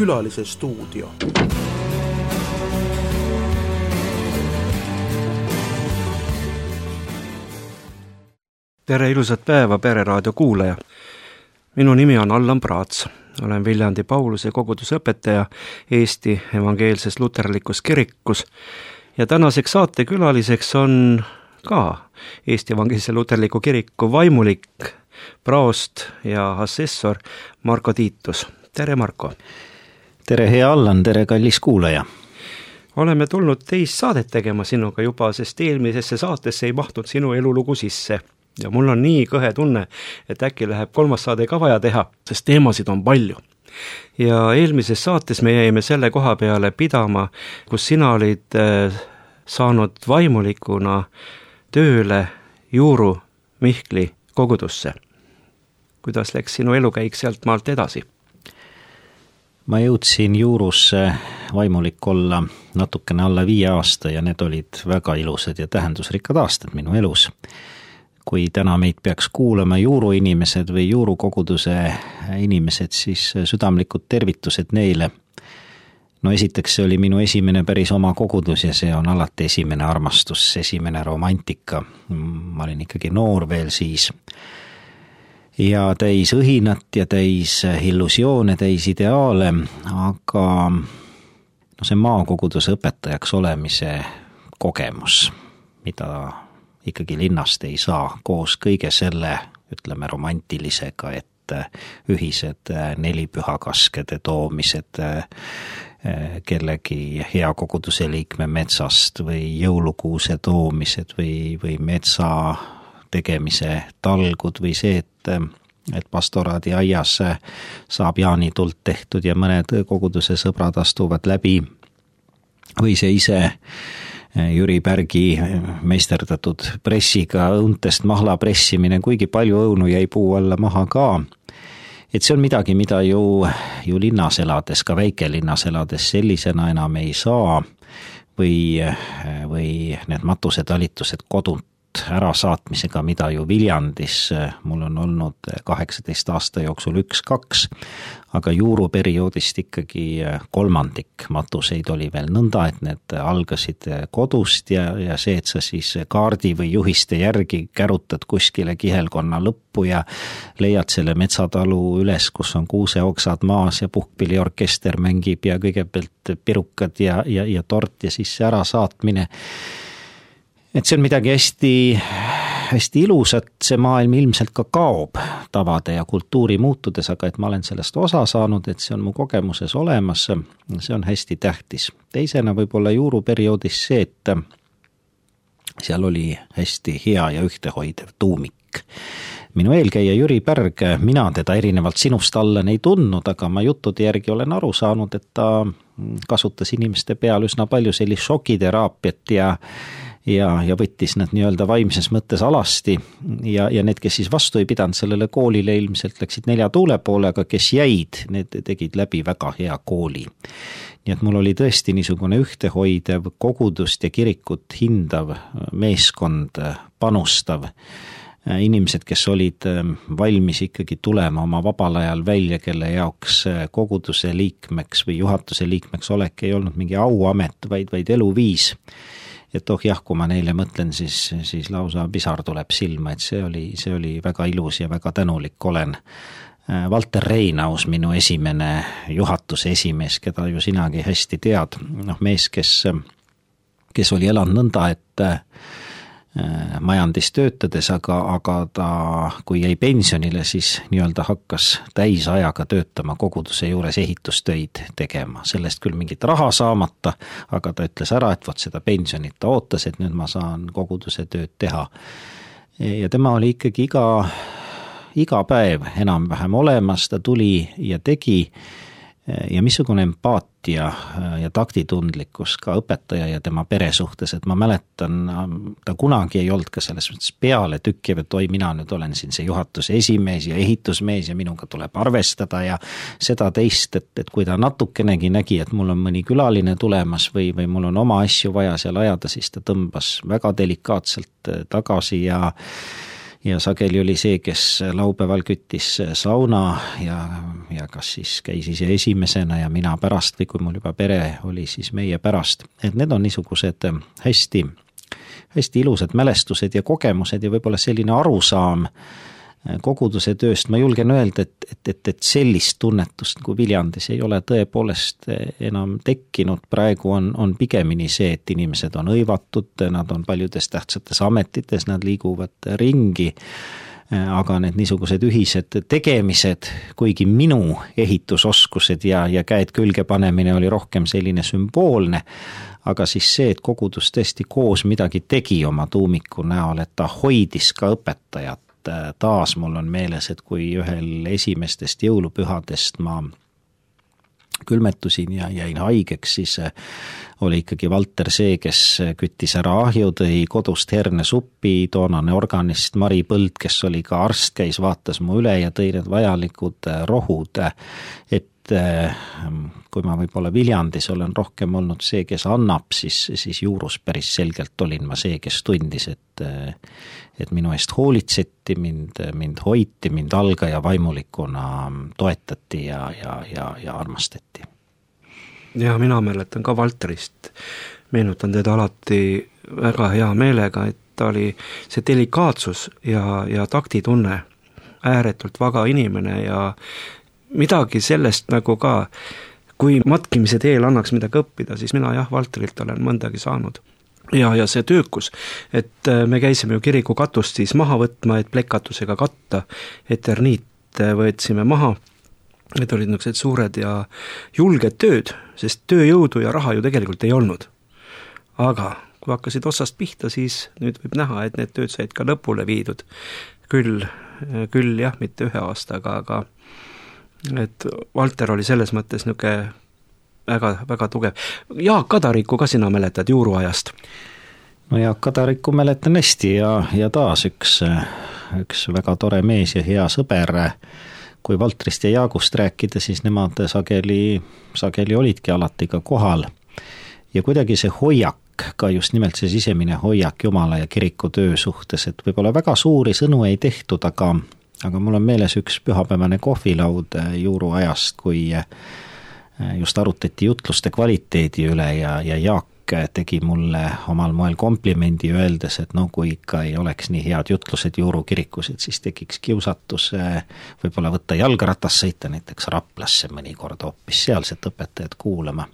Külalise stuudio. Tere ilusat päeva, Pereraadio kuulaja! Minu nimi on Allan Praats. Olen Viljandi Pauluse koguduse õpetaja Eesti Evangeelses Luterlikus Kirikus ja tänaseks saatekülaliseks on ka Eesti Evangeelse Luterliku Kiriku vaimulik, praost ja assessor Marko Tiitus. Tere, Marko! Tere, hea Allan, tere, kallis kuulaja! Oleme tulnud teist saadet tegema sinuga juba, sest eelmisesse saatesse ei mahtunud sinu elulugu sisse. Ja mul on nii kõhe tunne, et äkki läheb 3. saade ka vaja teha, sest teemasid on palju. Ja eelmises saates me jäime selle koha peale pidama, kus sina olid saanud vaimulikuna tööle Juuru Mihkli kogudusse. Kuidas läks sinu elukäik sealt maalt edasi? Ma jõudsin Juurusse vaimulik olla natukene alla 5 aasta ja need olid väga ilusad ja tähendusrikkad aastad minu elus. Kui täna meid peaks kuulama Juuru inimesed või Juuru koguduse inimesed, siis südamlikud tervitused neile. No esiteks see oli minu esimene päris oma kogudus ja see on alati esimene armastus, esimene romantika. Ma olin ikkagi noor veel siis. Ja täis õhinat ja täis illusioone, täis ideaale, aga see maakoguduse õpetajaks olemise kogemus, mida ikkagi linnast ei saa koos kõige selle, ütleme, romantilisega, et ühised 4 pühakaskede toomised kellegi hea koguduse liikme metsast või jõulukuuse toomised või metsa tegemise talgud või see, et pastoraadi aias saab jaanitult tehtud ja mõned koguduse sõbrad astuvad läbi või see ise Jüri Pärgi meisterdatud pressiga õuntest mahla pressimine, kuigi palju õunu jäi puu alla maha ka. Et see on midagi, mida ju linnas elades, ka väikelinnas elades sellisena enam ei saa või need matusetalitused kodunt ära saatmisega, mida ju Viljandis mul on olnud 18 aasta jooksul 1-2, aga Juuru perioodist ikkagi 3 matuseid oli veel nõnda, et need algasid kodust ja see, et sa siis kaardi või juhiste järgi kärutad kuskile kihelkonna lõppu ja leiad selle metsatalu üles, kus on kuuseoksad maas ja puhkpilliorkester mängib ja kõigepealt pirukad ja tort ja siis see ära saatmine. Et see on midagi hästi ilusat, see maailm ilmselt ka kaob tavade ja kultuuri muutudes, aga et ma olen sellest osa saanud, et see on mu kogemuses olemas, see on hästi tähtis. Teisena võib-olla Juuru perioodis see, et seal oli hästi hea ja ühtehoidev tuumik. Minu eelkäija Jüri Pärg, mina teda erinevalt sinust Allan ei tundnud, aga ma juttude järgi olen aru saanud, et ta kasutas inimeste peal üsna palju sellist šokiteraapiat ja võttis nad nii-öelda vaimses mõttes alasti ja need, kes siis vastu ei pidanud sellele koolile, ilmselt läksid 4 tuule poole, aga kes jäid, need tegid läbi väga hea kooli. Nii et mul oli tõesti niisugune ühtehoidev, kogudust ja kirikut hindav meeskond, panustav inimesed, kes olid valmis ikkagi tulema oma vabal ajal välja, kelle jaoks koguduse liikmeks või juhatuse liikmeks olek ei olnud mingi auamet, vaid eluviis. Et kui ma neile mõtlen, siis lausa pisar tuleb silma, et see oli väga ilus ja väga tänulik olen. Valter Reinaus, minu esimene juhatuse esimees, keda ju sinagi hästi tead, mees, kes oli elanud nõnda, et majandis töötades, aga ta, kui jäi pensionile, siis nii-öelda hakkas täisajaga töötama koguduse juures ehitustöid tegema. Sellest küll mingit raha saamata, aga ta ütles ära, et seda pensionit ta ootas, et nüüd ma saan koguduse tööd teha. Ja tema oli ikkagi iga päev enam-vähem olemas, ta tuli ja tegi ja missugune empaatia ja taktitundlikkus ka õpetaja ja tema pere suhtes, et ma mäletan, ta kunagi ei olnud ka selles mõttes peale tükkiv, et mina nüüd olen siin see juhatuse esimees ja ehitusmees ja minuga tuleb arvestada ja seda teist, et kui ta natukenegi nägi, et mul on mõni külaline tulemas või mul on oma asju vaja seal ajada, siis ta tõmbas väga delikaatselt tagasi ja ja sageli oli see, kes laupäeval küttis sauna ja kas siis käis ise esimesena ja mina pärast või kui mul juba pere oli, siis meie pärast. Et need on niisugused hästi ilusad mälestused ja kogemused ja võib-olla selline arusaam koguduse tööst. Ma julgen öelda, et sellist tunnetust kui Viljandis ei ole tõepoolest enam tekkinud. Praegu on pigemini see, et inimesed on õivatud, nad on paljudes tähtsates ametites, nad liiguvad ringi, aga need niisugused ühised tegemised, kuigi minu ehitusoskused ja käed külge panemine oli rohkem selline sümboolne, aga siis see, et kogudus tõesti koos midagi tegi oma tuumiku näol, et ta hoidis ka õpetajat. Taas mul on meeles, et kui ühel esimestest jõulupühadest ma külmetusin ja jäin haigeks, siis oli ikkagi Valter see, kes küttis ära ahju, tõi kodust hernesuppi, toonane organist Mari Põld, kes oli ka arst, käis, vaatas mu üle ja tõi need vajalikud rohud, et kui ma võib-olla Viljandis olen rohkem olnud see, kes annab, siis Juurus päris selgelt olin ma see, kes tundis, et minu eest hoolitseti, mind hoiti, mind algaja vaimulikuna toetati ja armastati. Ja mina mäletan ka Valterist, meenutan teda alati väga hea meelega, et ta oli see delikaatsus ja taktitunne, ääretult vaga inimene ja midagi sellest nagu ka, kui matkimise teel annaks midagi õppida, siis mina Valterilt olen mõndagi saanud. Ja see töökus, et me käisime ju kiriku katust siis maha võtma, et plekkatusega katta, eterniit võetsime maha, need olid niisugused suured ja julged tööd, sest tööjõudu ja raha ju tegelikult ei olnud. Aga kui hakkasid otsast pihta, siis nüüd võib näha, et need tööd said ka lõpule viidud. Küll jah, mitte 1 aastaga, aga et Valter oli selles mõttes niisugune väga, väga tugev. Jaak Kadariku ka sina mäletad juuruajast? No Jaak Kadariku mäletan hästi ja taas üks väga tore mees ja hea sõber. Kui Valtrist ja Jaagust rääkida, siis nemad sageli olidki alati ka kohal. Ja kuidagi see hoiak, ka just nimelt see sisemine hoiak Jumala ja kiriku töö suhtes, et võib-olla väga suuri sõnu ei tehtud, aga mul on meeles üks pühapäevane kohvilaud juuruajast, kui just arutati jutluste kvaliteedi üle ja Jaak tegi mulle omal moel komplimendi öeldes, et kui ikka ei oleks nii head jutlused Juuru kirikus, et siis tekiks kiusatus võib-olla võtta jalgratas sõita näiteks Raplasse mõnikord hoopis sealset õpetajat kuulama.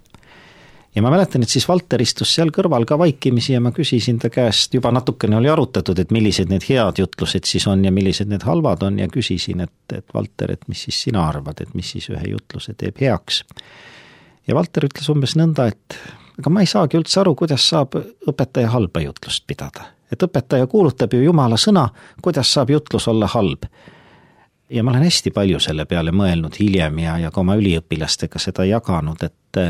Ja ma mäletan, et siis Valter istus seal kõrval ka vaikimisi ja ma küsisin ta käest, juba natukene oli arutatud, et millised need head jutlused siis on ja millised need halvad on ja küsisin, et Valter, et mis siis sina arvad, et mis siis ühe jutluse teeb heaks. Ja Valter ütles umbes nõnda, et aga ma ei saagi üldse aru, kuidas saab õpetaja halba jutlust pidada. Et õpetaja kuulutab ju Jumala sõna, kuidas saab jutlus olla halb. Ja ma olen hästi palju selle peale mõelnud hiljem ja ka oma üliõpilastega seda jaganud, et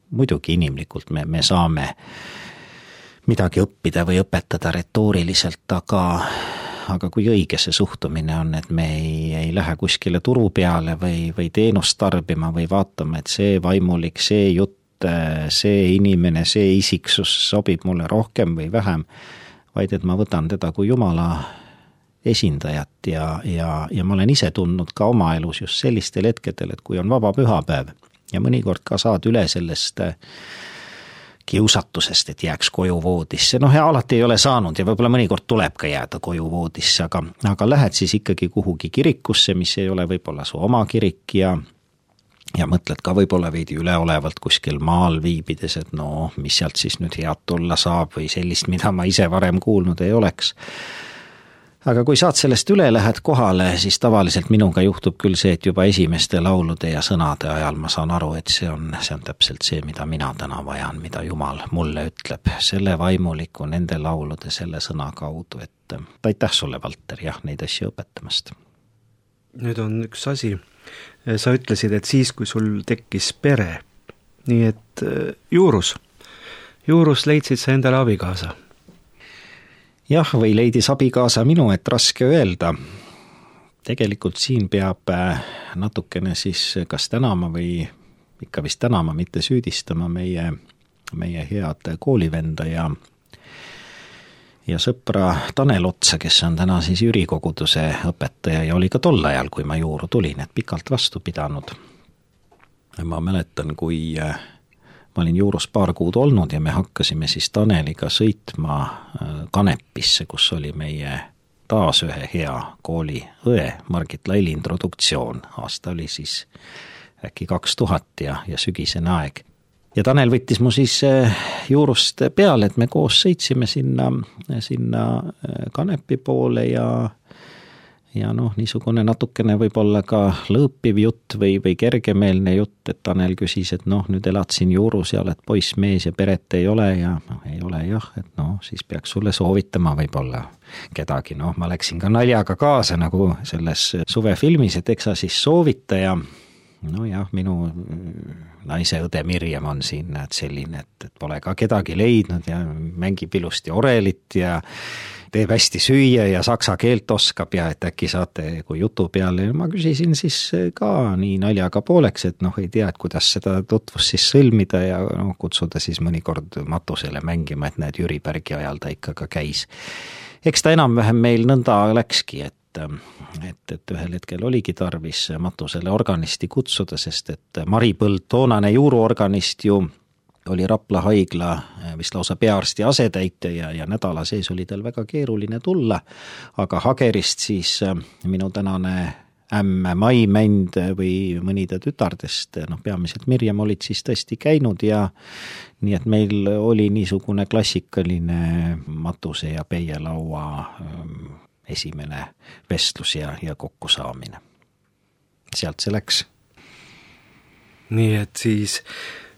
muidugi inimlikult me saame midagi õppida või õpetada retooriliselt, aga kui õige see suhtumine on, et me ei lähe kuskile turu peale või teenust tarbima või vaatama, et see vaimulik, see jutt, see inimene, see isiksus sobib mulle rohkem või vähem, vaid et ma võtan teda kui Jumala esindajat ja ma olen ise tundnud ka oma elus just sellistel hetkedel, et kui on vaba pühapäev ja mõnikord ka saad üle sellest kiusatusest, et jääks koju voodisse. Ja alati ei ole saanud ja võib-olla mõnikord tuleb ka jääda koju voodisse, aga lähed siis ikkagi kuhugi kirikusse, mis ei ole võib-olla su oma kirik ja mõtled ka võib-olla veidi üleolevalt kuskil maal viibides, et mis sealt siis nüüd head tulla saab või sellist, mida ma ise varem kuulnud ei oleks. Aga kui saad sellest üle, lähed kohale, siis tavaliselt minuga juhtub küll see, et juba esimeste laulude ja sõnade ajal ma saan aru, et see on täpselt see, mida mina täna vajan, mida Jumal mulle ütleb, selle vaimuliku, nende laulude, selle sõna kaudu, et aitäh sulle, Valter, neid asju õpetamast. Nüüd on üks asi, sa ütlesid, et siis, kui sul tekkis pere, nii et Juurus leidsid sa endale abikaasa. Jah, või leidis abikaasa minu, et raske öelda. Tegelikult siin peab natukene siis kas tänama või ikka vist tänama, mitte süüdistama meie head koolivenda ja sõpra Tanel Otsa, kes on täna siis Jüri koguduse õpetaja ja oli ka tol ajal, kui ma Juuru tulin, et pikalt vastu pidanud. Ma mäletan, kui ma olin Juurus paar kuud olnud ja me hakkasime siis Taneliga sõitma Kanepisse, kus oli meie taas ühe hea kooli õe Margit Laili introduktsioon. Aasta oli siis äkki 2000 ja sügisene aeg. Ja Tanel võttis mu siis Juurust peale, et me koos sõitsime sinna Kanepi poole ja niisugune natukene võib-olla ka lõõpiv jutt või kergemeelne jutt, et Tanel küsis, et nüüd elad siin Juurus ja oled poiss, mees ja peret ei ole ja ei ole jah, et siis peaks sulle soovitama võib-olla kedagi. Ma läksin ka naljaga kaasa nagu selles suvefilmis, et eks sa siis soovita ja minu naise õde Mirjam on siin selline, et pole ka kedagi leidnud ja mängib ilusti orelit ja teeb hästi süüa ja saksa keelt oskab ja et äkki saate kui jutu peale. Ma küsisin siis ka nii naljaga pooleks, et ei tea, et kuidas seda tutvust siis sõlmida ja kutsuda siis mõnikord matusele mängima, et näed, Jüri Pärgi ajal ta ikka ka käis. Eks ta enam-vähem meil nõnda läkski, et ühel hetkel oligi tarvis matusele organisti kutsuda, sest et Mari Põld, toonane Juuru organist ju oli Rapla haigla vist lausa peaarsti asetäitja ja nädala sees oli tal väga keeruline tulla, aga Hagerist siis minu tänane ämm Mai Mänd või mõni ta tütardest, peamiselt Mirjam olid siis tõesti käinud ja nii et meil oli niisugune klassikaline matuse ja peielaua esimene vestlus ja kokkusaamine. Sealt see läks. Nii et siis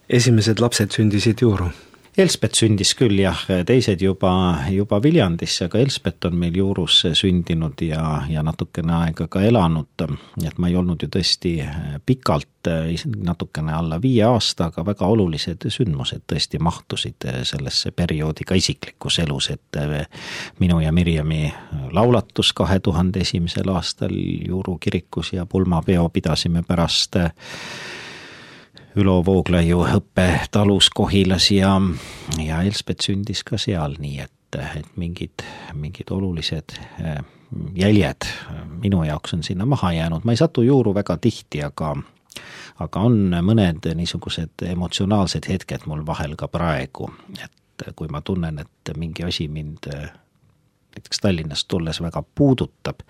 esimesed lapsed sündisid Juuru? Elspet sündis küll jah, teised juba Viljandisse, aga Elspet on meil Juurus sündinud ja natukene aega ka elanud, et ma ei olnud ju tõesti pikalt, natukene alla 5 aasta, aga väga olulised sündmused tõesti mahtusid sellesse perioodi ka isiklikus elus, et minu ja Mirjami laulatus 2001. aastal Juuru kirikus ja pulmapeo pidasime pärast Ülo Vooglaiu õppetalus Kohilas ja Elspet sündis ka seal, nii et mingid olulised jäljed minu jaoks on sinna maha jäänud. Ma ei satu Juuru väga tihti, aga on mõned niisugused emotsionaalsed hetked mul vahel ka praegu, et kui ma tunnen, et mingi asi mind näiteks Tallinnast tulles väga puudutab,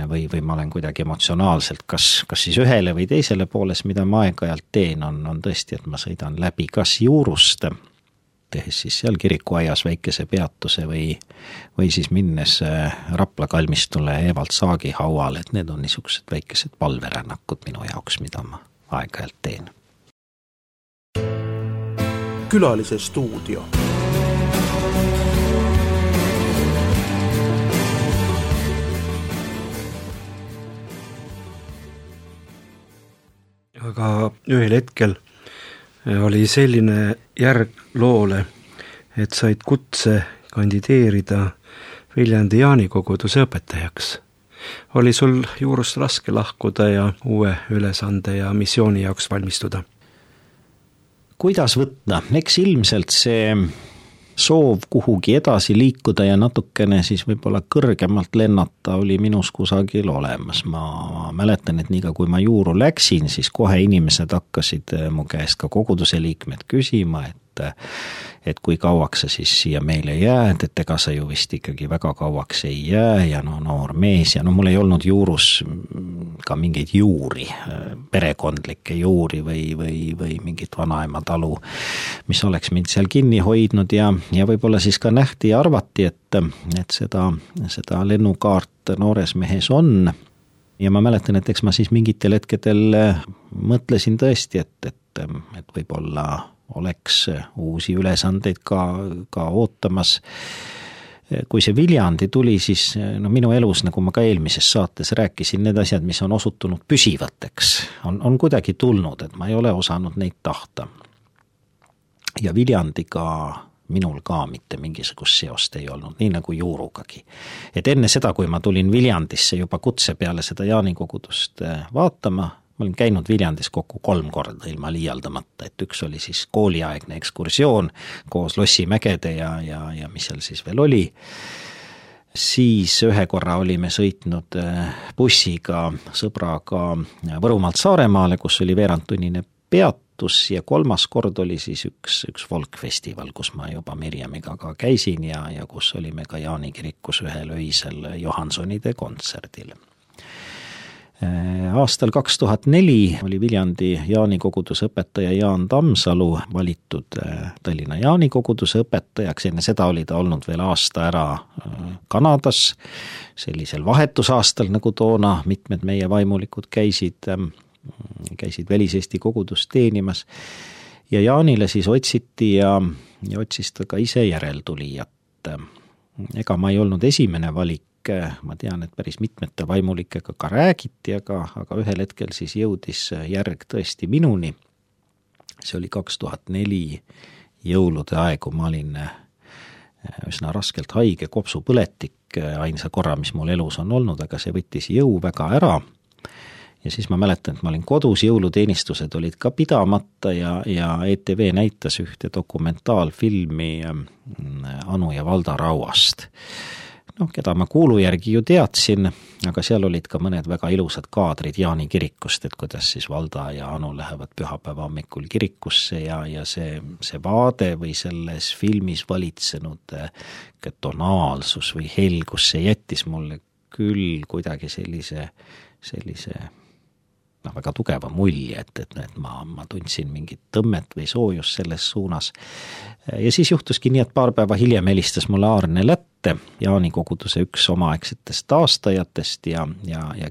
või ma olen kuidagi emotsionaalselt kas siis ühele või teisele pooles, mida ma aeg-ajalt teen, on tõesti, et ma sõidan läbi kas Juurust, tehes siis seal kirikuaias väikese peatuse või siis minnes Rapla kalmistule Evald Saagi hauale, et need on niisugused väikesed palverännakud minu jaoks, mida ma aeg-ajalt teen. Külalise stuudio. Aga ühel hetkel oli selline järg loole, et said kutse kandideerida Viljandi Jaani koguduse õpetajaks. Oli sul Juurust raske lahkuda ja uue ülesande ja missiooni jaoks valmistuda? Kuidas võtta? Eks ilmselt see soov kuhugi edasi liikuda ja natukene siis võib-olla kõrgemalt lennata oli minus kusagil olemas. Ma mäletan, et niiga kui ma Juuru läksin, siis kohe inimesed hakkasid mu käest ka koguduse liikmed küsima, et kui kauaks sa siis siia meile jääd, et ega sa ju vist ikkagi väga kauaks ei jää ja noor mees ja mul ei olnud Juurus ka mingeid juuri, perekondlikke juuri või mingit vanaema talu, mis oleks mind seal kinni hoidnud ja võib-olla siis ka nähti ja arvati, et seda lennukaart noores mehes on ja ma mäletan, et eks ma siis mingitel hetkedel mõtlesin tõesti, et võib-olla oleks uusi ülesandeid ka ootamas. Kui see Viljandi tuli, siis minu elus, nagu ma ka eelmises saates rääkisin, need asjad, mis on osutunud püsivateks, on kuidagi tulnud, et ma ei ole osanud neid tahta. Ja Viljandiga minul ka mitte mingisugust seost ei olnud, nii nagu Juurugagi. Et enne seda, kui ma tulin Viljandisse juba kutse peale seda Jaani kogudust vaatama, ma olin käinud Viljandis kokku 3 korda ilma liialdamata, et üks oli siis kooliaegne ekskursioon koos Lossimägede ja mis seal siis veel oli. Siis ühe korra olime sõitnud bussiga sõbraga Võrumaalt Saaremaale, kus oli veerandtunnine peatus ja 3. kord oli siis üks folkfestival, kus ma juba Mirjamiga ka käisin ja kus olime ka Jaani kirikus ühel öisel Johansonide kontserdil. Aastal 2004 oli Viljandi Jaani koguduse õpetaja Jaan Tammsalu valitud Tallinna Jaani koguduse õpetajaks, enne seda oli ta olnud veel aasta ära Kanadas, sellisel vahetusaastal, nagu toona mitmed meie vaimulikud käisid väliseesti kogudust teenimas ja Jaanile siis otsiti ja otsis ta ka ise järeltulijat. Ega ma ei olnud esimene valik, ma tean, et päris mitmete vaimulikega ka räägiti, aga ühel hetkel siis jõudis järg tõesti minuni. See oli 2004 jõulude aegu, ma olin üsna raskelt haige, kopsupõletik, ainsa korra, mis mul elus on olnud, aga see võttis jõu väga ära. Ja siis ma mäletan, et ma olin kodus, jõuluteenistused olid ka pidamata ja ETV näitas ühte dokumentaalfilmi Anu ja Valda Rauast. Keda ma kuulu järgi ju teadsin, aga seal olid ka mõned väga ilusad kaadrid Jaani kirikust, et kuidas siis Valda ja Anu lähevad pühapäeva hommikul kirikusse ja see vaade või selles filmis valitsenud tonaalsus või helgus, see jättis mulle küll kuidagi sellise väga tugeva mulje, et ma tundsin mingit tõmmet või soojust selles suunas. Ja siis juhtuski nii, et paar päeva hiljem helistas mulle Aarne Lätte, Jaani koguduse üks omaaegsetest taastajatest ja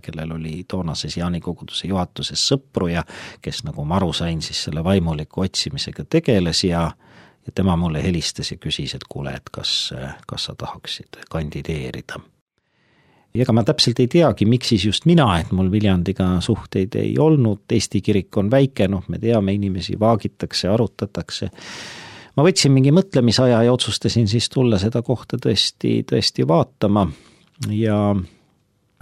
kellel oli toonases Jaani koguduse juhatuses sõpru ja kes, nagu ma aru sain, siis selle vaimuliku otsimisega tegeles ja tema mulle helistas ja küsis, et kuule, et kas sa tahaksid kandideerida. Ja ega ma täpselt ei teagi, miks siis just mina, et mul Viljandiga suhteid ei olnud, Eesti kirik on väike, me teame, inimesi vaagitakse, arutatakse. Ma võtsin mingi mõtlemisaja ja otsustasin siis tulla seda kohta tõesti vaatama ja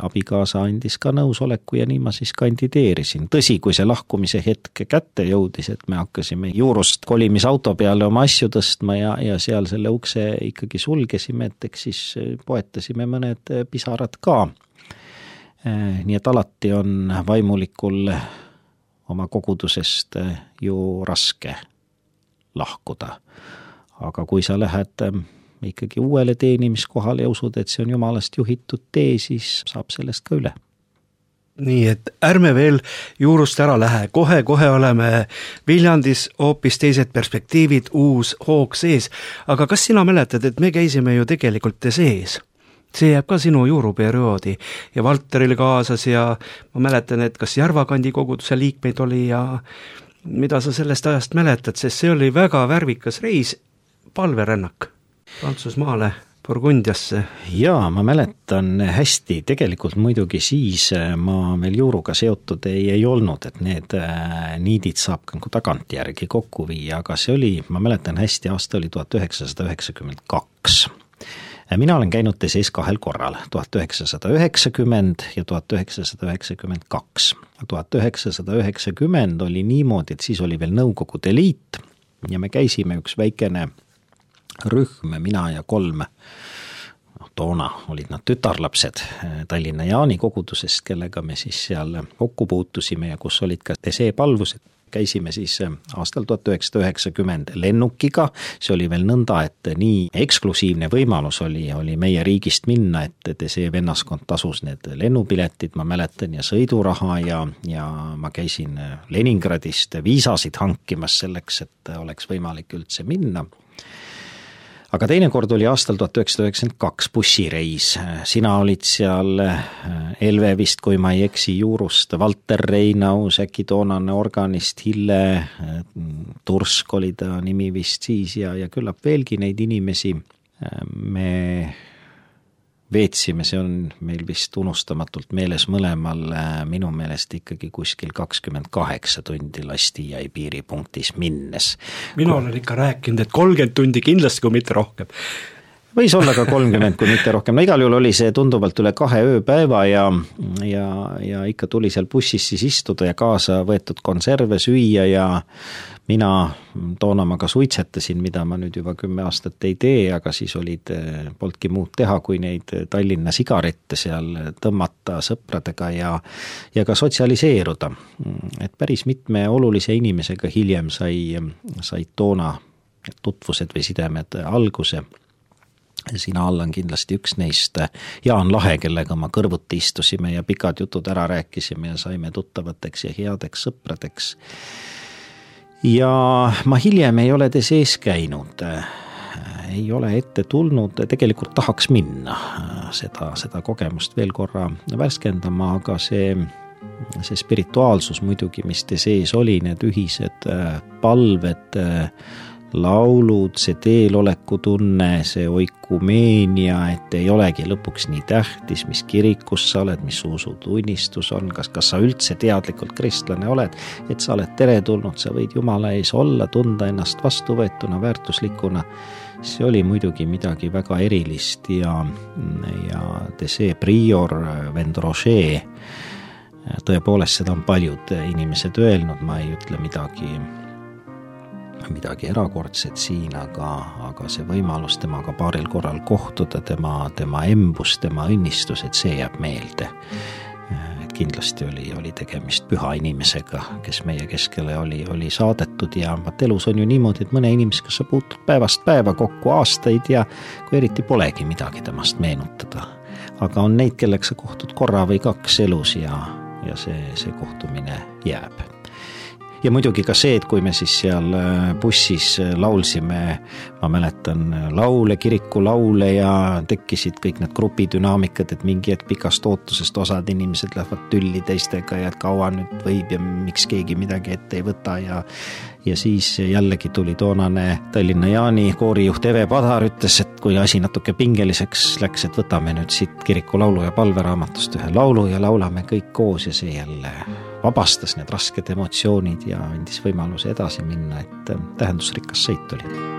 abikaasa andis ka nõusoleku ja nii ma siis kandideerisin. Tõsi, kui see lahkumise hetk kätte jõudis, et me hakkasime juurust kolimisauto peale oma asju tõstma ja seal selle ukse ikkagi sulgesime, et eks siis poetasime mõned pisarad ka. Nii et alati on vaimulikul oma kogudusest ju raske lahkuda. Aga kui sa lähed ikkagi uuele teenimiskohale ja usud, et see on jumalast juhitud tee, siis saab sellest ka üle. Nii, et ärme veel juurust ära lähe, kohe oleme Viljandis hoopis teised perspektiivid, uus hoog sees, aga kas sina mäletad, et me käisime ju tegelikult sees? See jääb ka sinu juuruperioodi ja Valteril kaasas ja ma mäletan, et kas Järvakandi koguduse liikmeid oli ja mida sa sellest ajast mäletad, sest see oli väga värvikas reis, palverännak Prantsusmaale, Burgundiasse. Jaa, ma mäletan hästi, tegelikult muidugi siis ma veel juuruga seotud ei olnud, et need niidid saab tagantjärgi kokku viia, aga see oli, ma mäletan hästi, aasta oli 1992. Mina olen käinud TSE-s 2 korral, 1990 ja 1992. 1990 oli niimoodi, et siis oli veel Nõukogude Liit ja me käisime üks väikene rühm, mina ja 3, toona olid nad tütarlapsed Tallinna Jaani kogudusest, kellega me siis seal kokku puutusime ja kus olid ka TSE palvused. Käisime siis aastal 1990 lennukiga, see oli veel nõnda, et nii eksklusiivne võimalus oli meie riigist minna, et TSE vennaskond tasus need lennupiletid, ma mäletan, ja sõiduraha ja ma käisin Leningradist viisasid hankimas selleks, et oleks võimalik üldse minna. Aga teine kord oli aastal 1992 bussireis. Sina olid seal Elve vist, kui ma ei eksi, juurust, Valter Reinaus, äkki toonane organist Hille, Tursk oli ta nimi vist siis ja küllap veelgi neid inimesi. Me veetsime, see on meil vist unustamatult meeles mõlemal, minu meelest ikkagi kuskil 28 tundi Lastijai piiripunktis minnes. Mina olen ikka rääkinud, et 30 tundi kindlasti, kui mitte rohkem. võis olla ka 30, kui mitte rohkem. No igal juhul oli see tunduvalt üle 2 ööpäeva ja ikka tuli seal bussis siis istuda ja kaasa võetud konserve süüa ja mina toona ma ka suitsetasin, mida ma nüüd juba 10 aastat ei tee, aga siis polnudki muud teha, kui neid Tallinna sigarette seal tõmmata sõpradega ja ka sotsialiseeruda. Et päris mitme olulise inimesega hiljem sai toona tutvused või sidemed alguse. Sina, Allan, kindlasti üks neist. Jaan Lahe, kellega ma kõrvuti istusime ja pikad jutud ära rääkisime ja saime tuttavateks ja headeks sõpradeks. Ja ma hiljem ei ole te sees käinud, ei ole ette tulnud, tegelikult tahaks minna seda kogemust veel korra värskendama, aga see spirituaalsus muidugi, mis te sees oli, need ühised palved, laulud, see teeloleku tunne, see oikumeenia, et ei olegi lõpuks nii tähtis, mis kirikus sa oled, mis usutunnistus on, kas sa üldse teadlikult kristlane oled, et sa oled teretulnud, sa võid Jumala ees olla, tunda ennast vastuvõetuna, väärtuslikuna. See oli muidugi midagi väga erilist ja see prior vend Roger, tõepoolest seda on paljud inimesed öelnud, ma ei ütle midagi erakordset siin, aga see võimalus temaga paaril korral kohtuda, tema embus, tema õnnistus, et see jääb meelde. Et kindlasti oli tegemist püha inimesega, kes meie keskele oli saadetud ja elus on ju niimoodi, et mõne inimesega sa puutud päevast päeva kokku aastaid ja kui eriti polegi midagi temast meenutada. Aga on neid, kellega sa kohtud korra või 2 elus ja see kohtumine jääb. Ja muidugi ka see, et kui me siis seal bussis laulsime, ma mäletan laule, kiriku laule ja tekkisid kõik need grupidünaamikad, et mingi hetk pikast ootusest osad inimesed lähevad tülli teistega ja et kaua nüüd võib ja miks keegi midagi ette ei võta ja siis jällegi tuli toonane Tallinna Jaani koorijuht Eve Padar ütles, et kui asi natuke pingeliseks läks, et võtame nüüd siit kiriku laulu ja palveraamatust ühe laulu ja laulame kõik koos ja see jälle vabastas need rasked emotsioonid ja andis võimaluse edasi minna, et tähendusrikas sõit oli.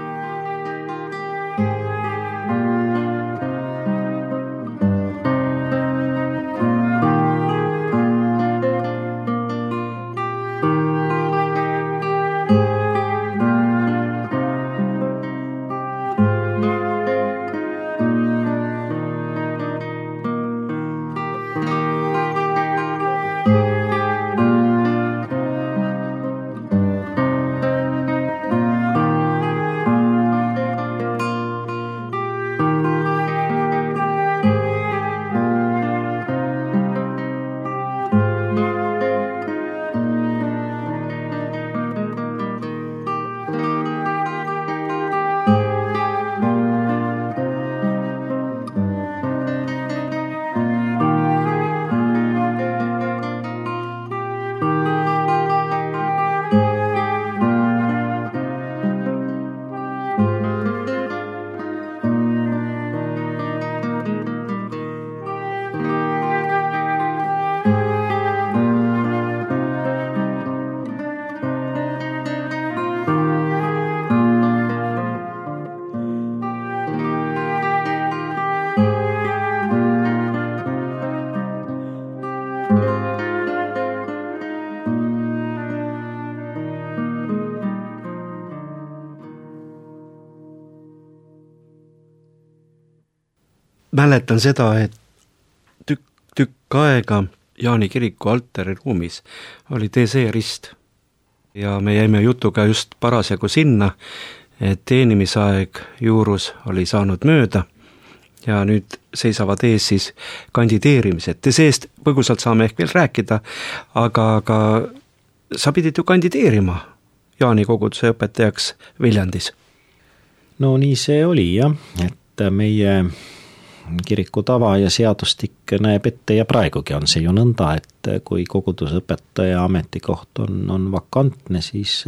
Mäletan seda, et tükk aega Jaani kiriku altari ruumis oli DC rist ja me jäime jutuga just parasjagu sinna, et teenimisaeg juurus oli saanud mööda ja nüüd seisavad ees siis kandideerimised. DC-st põgusalt saame ehk veel rääkida, aga sa pidid ju kandideerima Jaani koguduse õpetajaks Viljandis. No nii see oli jah, et meie kiriku tava ja seadustik näeb ette ja praegugi on see ju nõnda, et kui kogudusõpetaja ametikoht on vakantne, siis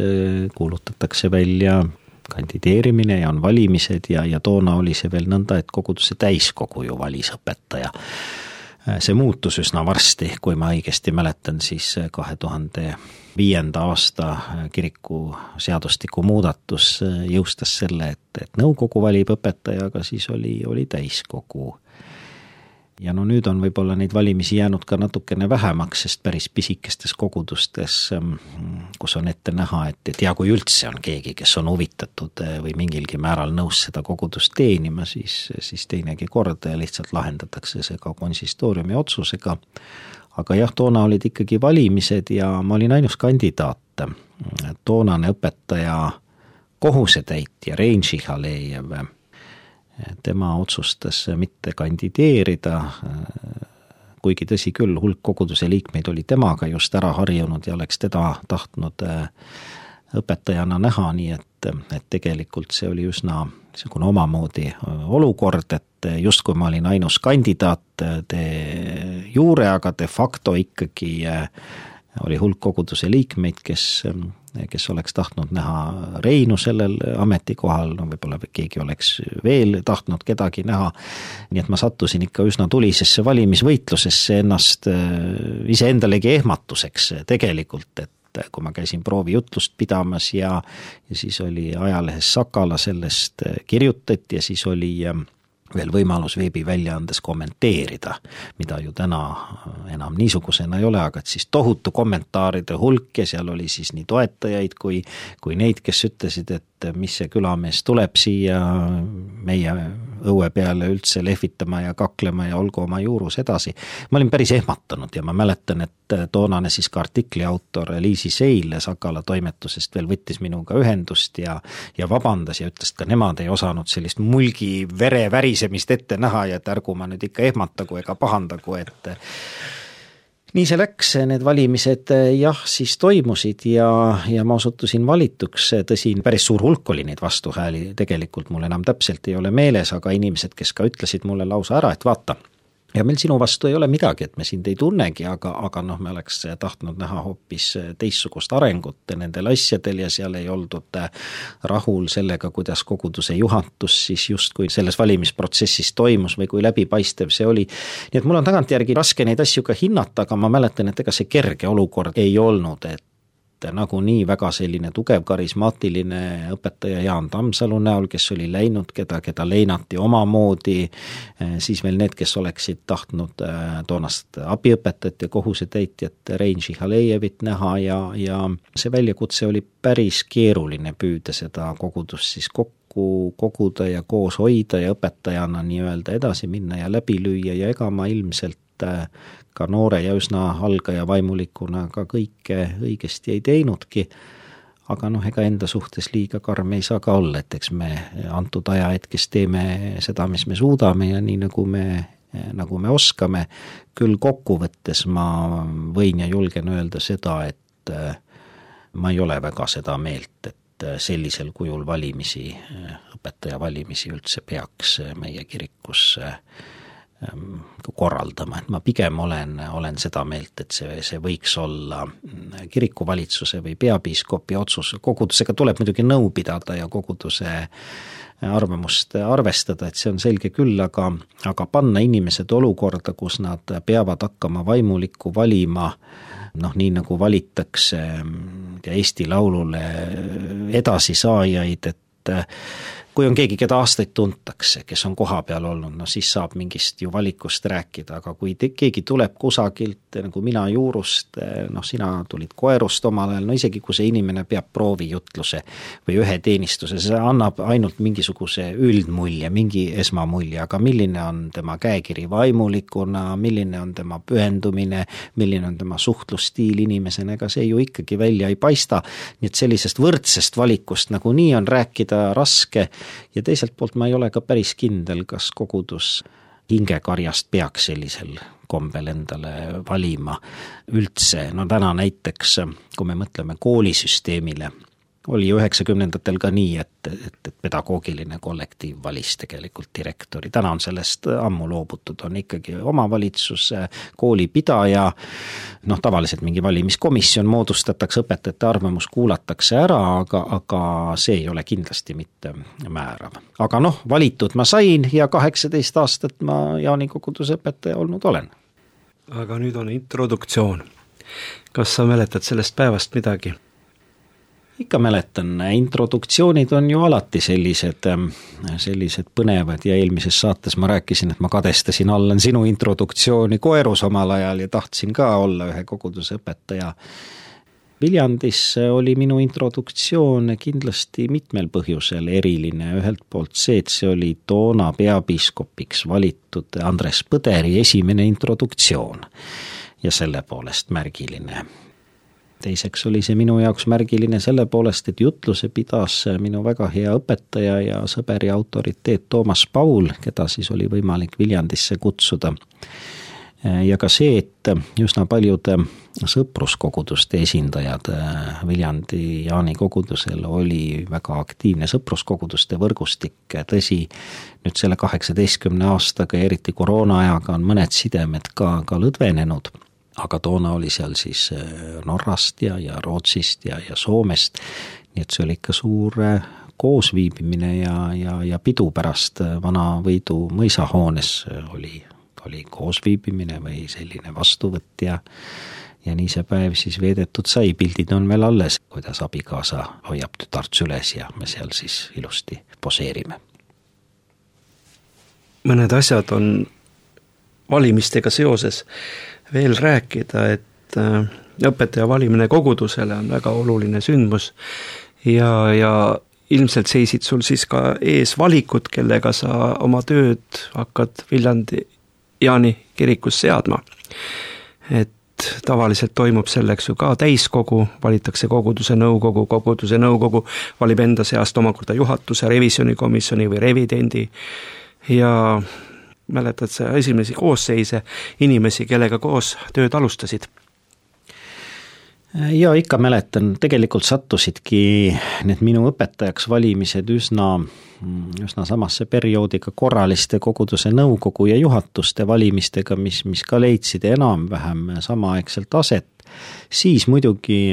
kuulutatakse välja kandideerimine ja on valimised ja toona oli see veel nõnda, et koguduse täiskogu ju valis õpetaja see muutus üsna varsti, kui ma õigesti mäletan, siis 2005. aasta kiriku seadustiku muudatus jõustas selle, et nõukogu valib õpetaja, aga siis oli täiskogu. Ja no nüüd on võib-olla neid valimisi jäänud ka natukene vähemaks, sest päris pisikestes kogudustes, kus on ette näha, et ja kui üldse on keegi, kes on huvitatud või mingilgi määral nõus seda kogudust teenima, siis teinegi kord lihtsalt lahendatakse see ka konsistooriumi otsusega. Aga jah, toona olid ikkagi valimised ja ma olin ainus kandidaat. Toonane õpetaja kohusetäitja Rein Šichalejev, tema otsustas mitte kandideerida, kuigi tõsi küll, hulk koguduse liikmeid oli temaga just ära harjunud ja oleks teda tahtnud õpetajana näha, nii et tegelikult see oli üsna niisugune omamoodi olukord, et justkui ma olin ainus kandidaat de jure, aga de facto ikkagi oli hulk koguduse liikmeid, kes oleks tahtnud näha Reinu sellel ametikohal, no võib-olla keegi oleks veel tahtnud kedagi näha, nii et ma sattusin ikka üsna tulisesse valimisvõitlusesse ennast iseendalegi ehmatuseks tegelikult, et kui ma käisin proovijutlust pidamas ja siis oli ajalehes Sakala sellest kirjutati ja siis oli veel võimalus veebiväljaandes kommenteerida, mida ju täna enam niisugusena ei ole, aga siis tohutu kommentaaride hulk ja seal oli siis nii toetajaid kui neid, kes ütlesid, et mis see külamees tuleb siia meie õue peale üldse lehvitama ja kaklema ja olgu oma juurus edasi. Ma olin päris ehmatanud ja ma mäletan, et toonane siis ka artikli autor Liisi Seil Sakala toimetusest veel võttis minuga ühendust ja vabandas ja ütles, et ka nemad ei osanud sellist mulgi vere värisemist ette näha ja et ärgu ma nüüd ikka ehmatagu ega pahandagu, et nii see läks, need valimised jah, siis toimusid ja ma osutusin valituks, tõsi, päris suur hulk oli neid vastuhääli, tegelikult mul enam täpselt ei ole meeles, aga inimesed, kes ka ütlesid mulle lausa ära, et vaata, ja meil sinu vastu ei ole midagi, et me sind ei tunnegi, aga me oleks tahtnud näha hoopis teistsugust arengut nendel asjadel ja seal ei oldud rahul sellega, kuidas koguduse juhatus siis justkui selles valimisprotsessis toimus või kui läbipaistev see oli. Nii et mul on tagantjärgi raske neid asju ka hinnata, aga ma mäletan, et ega see kerge olukord ei olnud, et nagu nii väga selline tugev karismaatiline õpetaja Jaan Tammsalu näol, kes oli läinud, keda leinati omamoodi, siis veel need, kes oleksid tahtnud toonast abiõpetajat ja kohusetäitjat Rein Šihalejevit näha ja see väljakutse oli päris keeruline püüda seda kogudust siis kokku koguda ja koos hoida ja õpetajana nii-öelda edasi minna ja läbi lüüa ja ega ma ilmselt ka noore ja üsna algaja vaimulikuna ka kõike õigesti ei teinudki, aga ega enda suhtes liiga karm ei saa ka olla, et eks me antud ajahetkes teeme seda, mis me suudame ja nii nagu me oskame, küll kokkuvõttes ma võin ja julgen öelda seda, et ma ei ole väga seda meelt, et sellisel kujul valimisi, õpetaja valimisi üldse peaks meie kirikus korraldama, et ma pigem olen seda meelt, et see võiks olla kirikuvalitsuse või peapiiskopi otsus, kogudusega tuleb muidugi nõu pidada ja koguduse arvamust arvestada, et see on selge küll, aga panna inimesed olukorda, kus nad peavad hakkama vaimulikku valima, nii nagu valitakse Eesti Laulule edasisaajaid, et kui on keegi, keda aastaid tuntakse, kes on koha peal olnud, siis saab mingist ju valikust rääkida, aga kui keegi tuleb kusagilt, nagu mina Juurust, sina tulid Koerust omal ajal, isegi kui see inimene peab proovijutluse või ühe teenistuse, see annab ainult mingisuguse üldmulje, mingi esmamulje, aga milline on tema käekiri vaimulikuna, milline on tema pühendumine, milline on tema suhtlusstiil inimesena, ega see ju ikkagi välja ei paista, nii et sellisest võrdsest valikust nagu nii on rääkida raske. Ja teiselt poolt ma ei ole ka päris kindel, kas kogudus hingekarjast peaks sellisel kombel endale valima üldse. Täna näiteks, kui me mõtleme koolisüsteemile, oli 90-ndatel ka nii, et pedagoogiline kollektiiv valis tegelikult direktori. Täna on sellest ammu loobutud, on ikkagi omavalitsus, koolipidaja, tavaliselt mingi valimiskomisjon moodustatakse, õpetajate arvamus kuulatakse ära, aga see ei ole kindlasti mitte määrav. Aga valitud ma sain ja 18 aastat ma Jaani koguduse õpetaja olnud olen. aga nüüd on introduktsioon. Kas sa mäletad sellest päevast midagi? Ikka mäletan, introduktsioonid on ju alati sellised põnevad ja eelmises saates ma rääkisin, et ma kadestasin Allan sinu introduktsiooni Koerus omal ajal ja tahtsin ka olla ühe koguduse õpetaja. Viljandis oli minu introduktsioon kindlasti mitmel põhjusel eriline. Ühelt poolt see, et see oli toona peapiiskopiks valitud Andres Põderi esimene introduktsioon ja selle poolest märgiline. Teiseks oli see minu jaoks märgiline selle poolest, et jutluse pidas minu väga hea õpetaja ja sõber ja autoriteet Toomas Paul, keda siis oli võimalik Viljandisse kutsuda. Ja ka see, et üsna paljude sõpruskoguduste esindajad Viljandi Jaani kogudusel oli väga aktiivne sõpruskoguduste võrgustik. Tõsi, nüüd selle 18 aastaga ja eriti koroona ajaga on mõned sidemed ka lõdvenenud, aga toona oli seal siis Norrast ja Rootsist ja Soomest, nii et see oli ikka suur koosviibimine ja pidu pärast Vana Võidu mõisahoones oli koosviibimine või selline vastuvõtt ja nii see päev siis veedetud sai. Pildid on veel alles, kuidas abikaasa hoiab tütart süles ja me seal siis ilusti poseerime. Mõned asjad on valimistega seoses veel rääkida, et õpetaja valimine kogudusele on väga oluline sündmus ja ilmselt seisid sul siis ka ees valikud, kellega sa oma tööd hakkad Viljandi Jaani kirikus seadma. Et tavaliselt toimub selleks ju ka täiskogu, valitakse koguduse nõukogu valib enda seast omakorda juhatuse, revisjonikomisjoni või revidendi ja mäletad sa esimesi koosseise inimesi, kellega koos tööd alustasid? Ja ikka mäletan, tegelikult sattusidki need minu õpetajaks valimised üsna samasse perioodiga korraliste koguduse nõukogu ja juhatuste valimistega, mis ka leidsid enam-vähem samaaegselt aset. Siis muidugi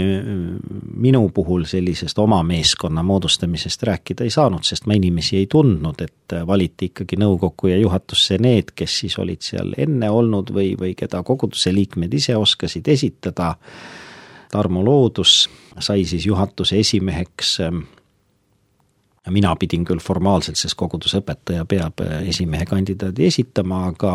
minu puhul sellisest oma meeskonna moodustamisest rääkida ei saanud, sest ma inimesi ei tundnud, et valiti ikkagi nõukogu ja juhatusse need, kes siis olid seal enne olnud või keda koguduse liikmed ise oskasid esitada. Tarmo Loodus sai siis juhatuse esimeheks. Mina pidin küll formaalselt, sest koguduse õpetaja peab esimehe kandidaadi esitama, aga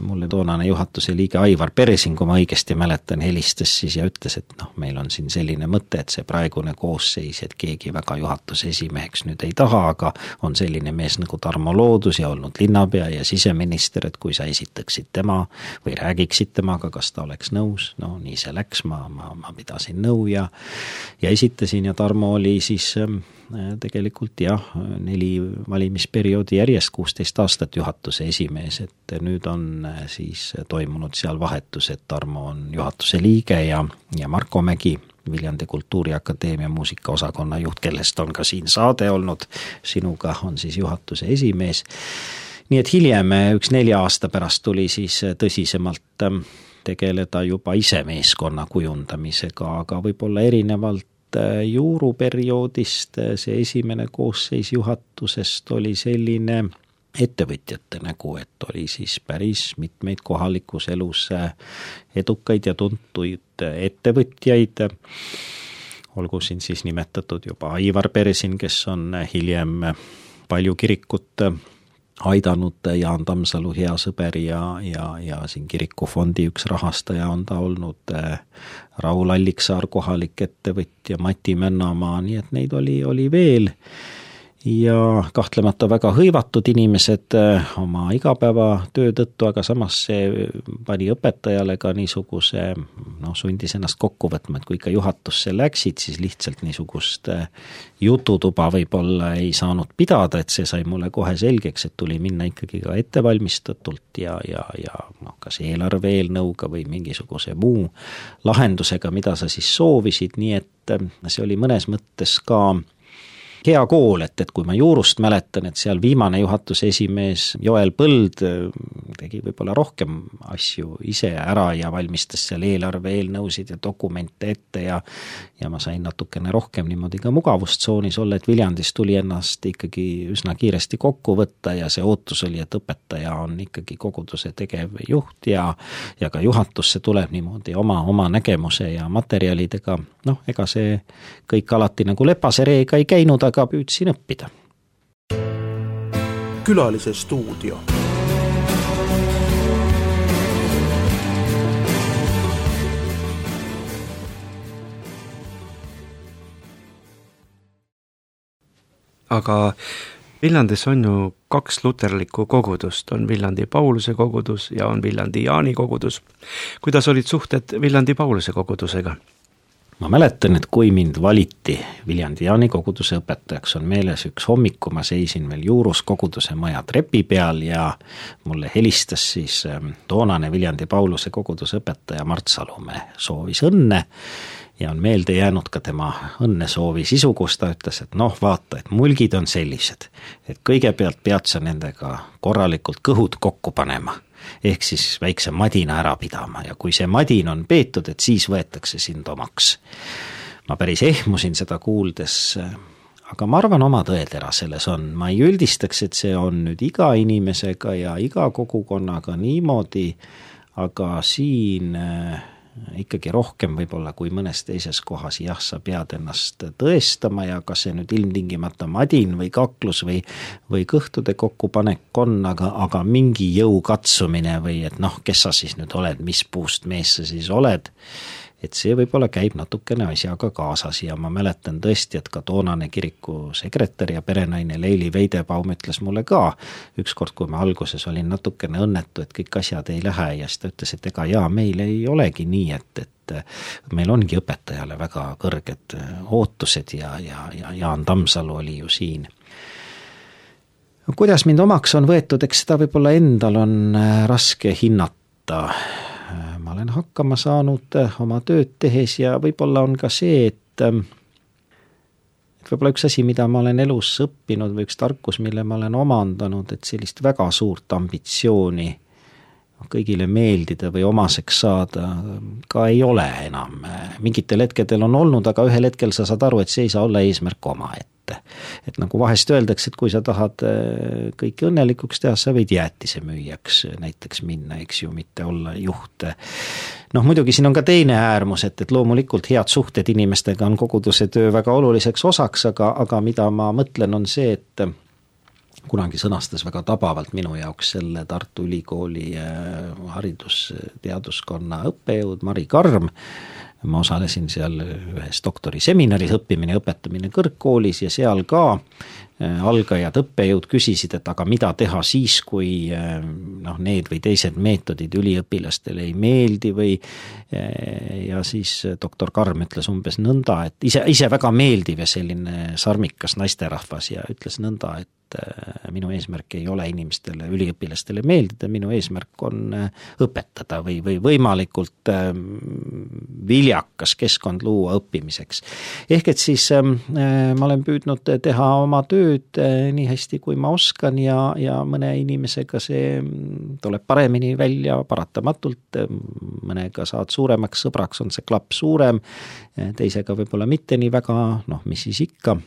mulle toonane juhatuse liige Aivar Peresin, kui ma õigesti mäletan, helistas siis ja ütles, et meil on siin selline mõte, et see praegune koosseis, et keegi väga juhatuse esimeheks nüüd ei taha, aga on selline mees nagu Tarmo Loodus ja olnud linnapea ja siseminister, et kui sa esitaksid tema või räägiksid temaga, kas ta oleks nõus. No nii see läks, ma pidasin nõu ja esitasin ja Tarmo oli siis tegelikult 4 valimisperioodi järjest 16 aastat juhatuse esimees, et nüüd on siis toimunud seal vahetus, et Tarmo on juhatuse liige ja Marko Mägi, Viljandi Kultuuriakadeemia muusikaosakonna juht, kellest on ka siin saade olnud, sinuga on siis juhatuse esimees. Nii et hiljem 4 aasta pärast tuli siis tõsisemalt tegeleda juba ise meeskonna kujundamisega, aga võib-olla erinevalt juuruperioodist see esimene koosseis juhatusest oli selline ettevõtjate nägu, et oli siis päris mitmeid kohalikus elus edukaid ja tuntuid ettevõtjaid. Olgu siin siis nimetatud juba Aivar Peresin, kes on hiljem palju kirikut aidanud, Jaan Tammsalu hea sõber ja siin kirikufondi üks rahastaja on ta olnud, Raul Alliksaar kohalik ettevõtja, Mati Männamaa, nii et neid oli veel ja kahtlemata väga hõivatud inimesed oma igapäevatöö tõttu, aga samas see pani õpetajale ka niisuguse, sundis ennast kokku võtma, et kui ikka juhatusse läksid, siis lihtsalt niisugust jututuba võib-olla ei saanud pidada, et see sai mulle kohe selgeks, et tuli minna ikkagi ka ettevalmistatult ja kas eelarve eelnõuga või mingisuguse muu lahendusega, mida sa siis soovisid, nii et see oli mõnes mõttes ka hea kool, et kui ma Juurust mäletan, et seal viimane juhatuse esimees Joel Põld tegi võib-olla rohkem asju ise ära ja valmistas seal eelarve eelnõusid ja dokumente ette ja ma sain natukene rohkem niimoodi ka mugavustsoonis olla, et Viljandis tuli ennast ikkagi üsna kiiresti kokku võtta ja see ootus oli, et õpetaja on ikkagi koguduse tegevjuht ja ka juhatusse tuleb niimoodi oma nägemuse ja materjalidega, ega see kõik alati nagu lepase reega ei käinud, aga püüdsin õppida. Külalise stuudio. Aga Viljandis on ju 2 luterlikku kogudust, on Viljandi Pauluse kogudus ja on Viljandi Jaani kogudus. Kuidas olid suhted Viljandi Pauluse kogudusega? Ma mäletan, et kui mind valiti Viljandi Jaani koguduse õpetajaks, on meeles üks hommiku, ma seisin veel Juurus koguduse maja trepi peal ja mulle helistas siis toonane Viljandi Pauluse koguduse õpetaja Mart Salumäe, soovis õnne ja on meelde jäänud ka tema õnnesoovi sisu, kus ta ütles, et vaata, et mulgid on sellised, et kõigepealt pead sa nendega korralikult kõhud kokku panema, ehk siis väikse madina ära pidama ja kui see madin on peetud, et siis võetakse sind omaks. Ma päris ehmusin seda kuuldes, aga ma arvan, oma tõetera selles on. Ma ei üldistaks, et see on nüüd iga inimesega ja iga kogukonnaga niimoodi, aga siin ikkagi rohkem võib-olla kui mõnes teises kohas, jah, sa pead ennast tõestama ja kas see nüüd ilmtingimata madin või kaklus või kõhtude kokkupanek on, aga mingi jõu katsumine või et kes sa siis nüüd oled, mis puust mees sa siis oled, et see võib-olla käib natukene asjaga kaasas ja ma mäletan tõesti, et ka toonane kiriku sekretär ja perenaine Leili Veidebaum ütles mulle ka ükskord, kui ma alguses olin natukene õnnetu, et kõik asjad ei lähe ja siis ta ütles, et ega meil ei olegi nii, et meil ongi õpetajale väga kõrged ootused ja Jaan Tammsalu oli ju siin. Kuidas mind omaks on võetud, eks seda võib-olla endal on raske hinnata. Ma olen hakkama saanud oma tööd tehes ja võib-olla on ka see, et võib-olla üks asi, mida ma olen elus õppinud või üks tarkus, mille ma olen omandanud, et sellist väga suurt ambitsiooni kõigile meeldida või omaseks saada ka ei ole enam. Mingitel hetkedel on olnud, aga ühel hetkel sa saad aru, et see ei saa olla eesmärk omaette. Et nagu vahest öeldakse, et kui sa tahad kõiki õnnelikuks teha, sa võid jäätise müüjaks näiteks minna, eks ju, mitte olla juht. Muidugi siin on ka teine äärmus, et loomulikult head suhted inimestega on koguduse töö väga oluliseks osaks, aga mida ma mõtlen on see, et kunagi sõnastas väga tabavalt minu jaoks selle Tartu Ülikooli haridusteaduskonna õppejõud Mari Karm. Ma osalesin seal ühes doktoriseminaris õppimine ja õpetamine kõrgkoolis ja seal ka algajad õppejõud küsisid, et aga mida teha siis, kui need või teised meetodid üliõpilastele ei meeldi või ja siis doktor Karm ütles umbes nõnda, et ise väga meeldiv ja selline sarmikas naisterahvas ja ütles nõnda, et minu eesmärk ei ole inimestele, üliõpilastele meeldida, minu eesmärk on õpetada või võimalikult viljakas keskkond luua õppimiseks. Ehk et siis ma olen püüdnud teha oma tööd nii hästi, kui ma oskan ja mõne inimesega see tuleb paremini välja paratamatult, mõnega saad suuremaks sõbraks, on see klapp suurem, teisega võib-olla mitte nii väga, mis siis ikka,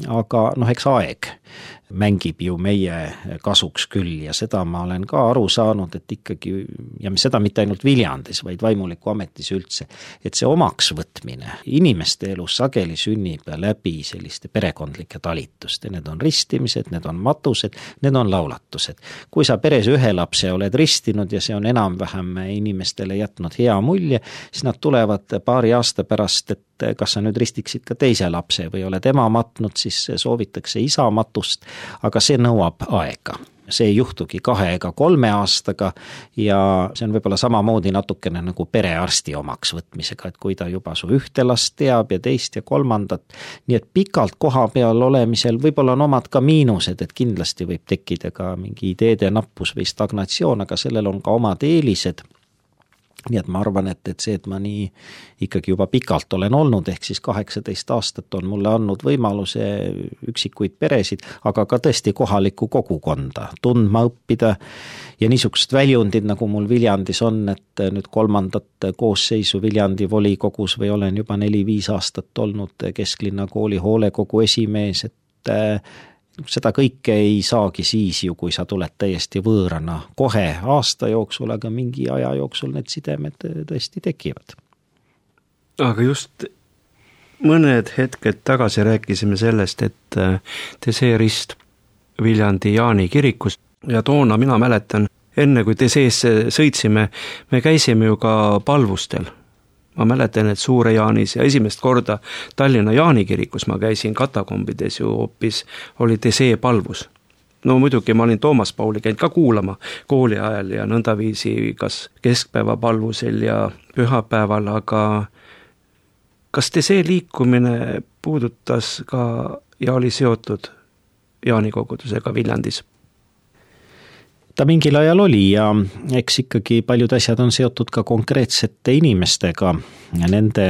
aga eks aeg mängib ju meie kasuks küll ja seda ma olen ka aru saanud, et ikkagi, ja seda mitte ainult Viljandis, vaid vaimuliku ametis üldse, et see omaks võtmine inimeste elus sageli sünnib läbi selliste perekondlike talituste, need on ristimised, need on matused, need on laulatused. Kui sa peres ühe lapse oled ristinud ja see on enam-vähem inimestele jätnud hea mulje, siis nad tulevad paari aasta pärast, et kas sa nüüd ristiksid ka teise lapse või oled ema matnud, siis soovitakse isa matust, aga see nõuab aega. See ei juhtugi 2 ega 3 aastaga ja see on võib-olla samamoodi natukene nagu perearsti omaks võtmisega, et kui ta juba su ühte last teab ja teist ja kolmandat, nii et pikalt koha peal olemisel võib-olla on omad ka miinused, et kindlasti võib tekkida ka mingi ideede nappus või stagnatsioon, aga sellel on ka omad eelised. nii et ma arvan, et see, et ma nii ikkagi juba pikalt olen olnud, ehk siis 18 aastat on mulle andnud võimaluse üksikuid peresid, aga ka tõesti kohalikku kogukonda tundma õppida ja niisugust väljundid, nagu mul Viljandis on, et nüüd 3. koosseisu Viljandi volikogus või olen juba 4-5 aastat olnud Kesklinna kooli hoolekogu esimees, et seda kõike ei saagi siis ju, kui sa tuled täiesti võõrana kohe aasta jooksul, aga mingi aja jooksul need sidemed tõesti tekivad. Aga just mõned hetked tagasi rääkisime sellest, et Teseerist Viljandi Jaani kirikus ja toona mina mäletan, enne kui Teseesse sõitsime, me käisime ju ka palvustel. Ma mäletan, et Suure Jaanis ja esimest korda Tallinna Jaani kirikus ma käisin katakombides ju hoopis oli Tesee palvus. No muidugi ma olin Toomas Pauli käinud ka kuulama kooli ajal ja nõndaviisi kas keskpäeva palvusel ja pühapäeval, aga kas Tesee liikumine puudutas ka ja oli seotud Jaani kogudusega Viljandis? Ta mingil ajal oli ja eks ikkagi paljud asjad on seotud ka konkreetsete inimestega ja nende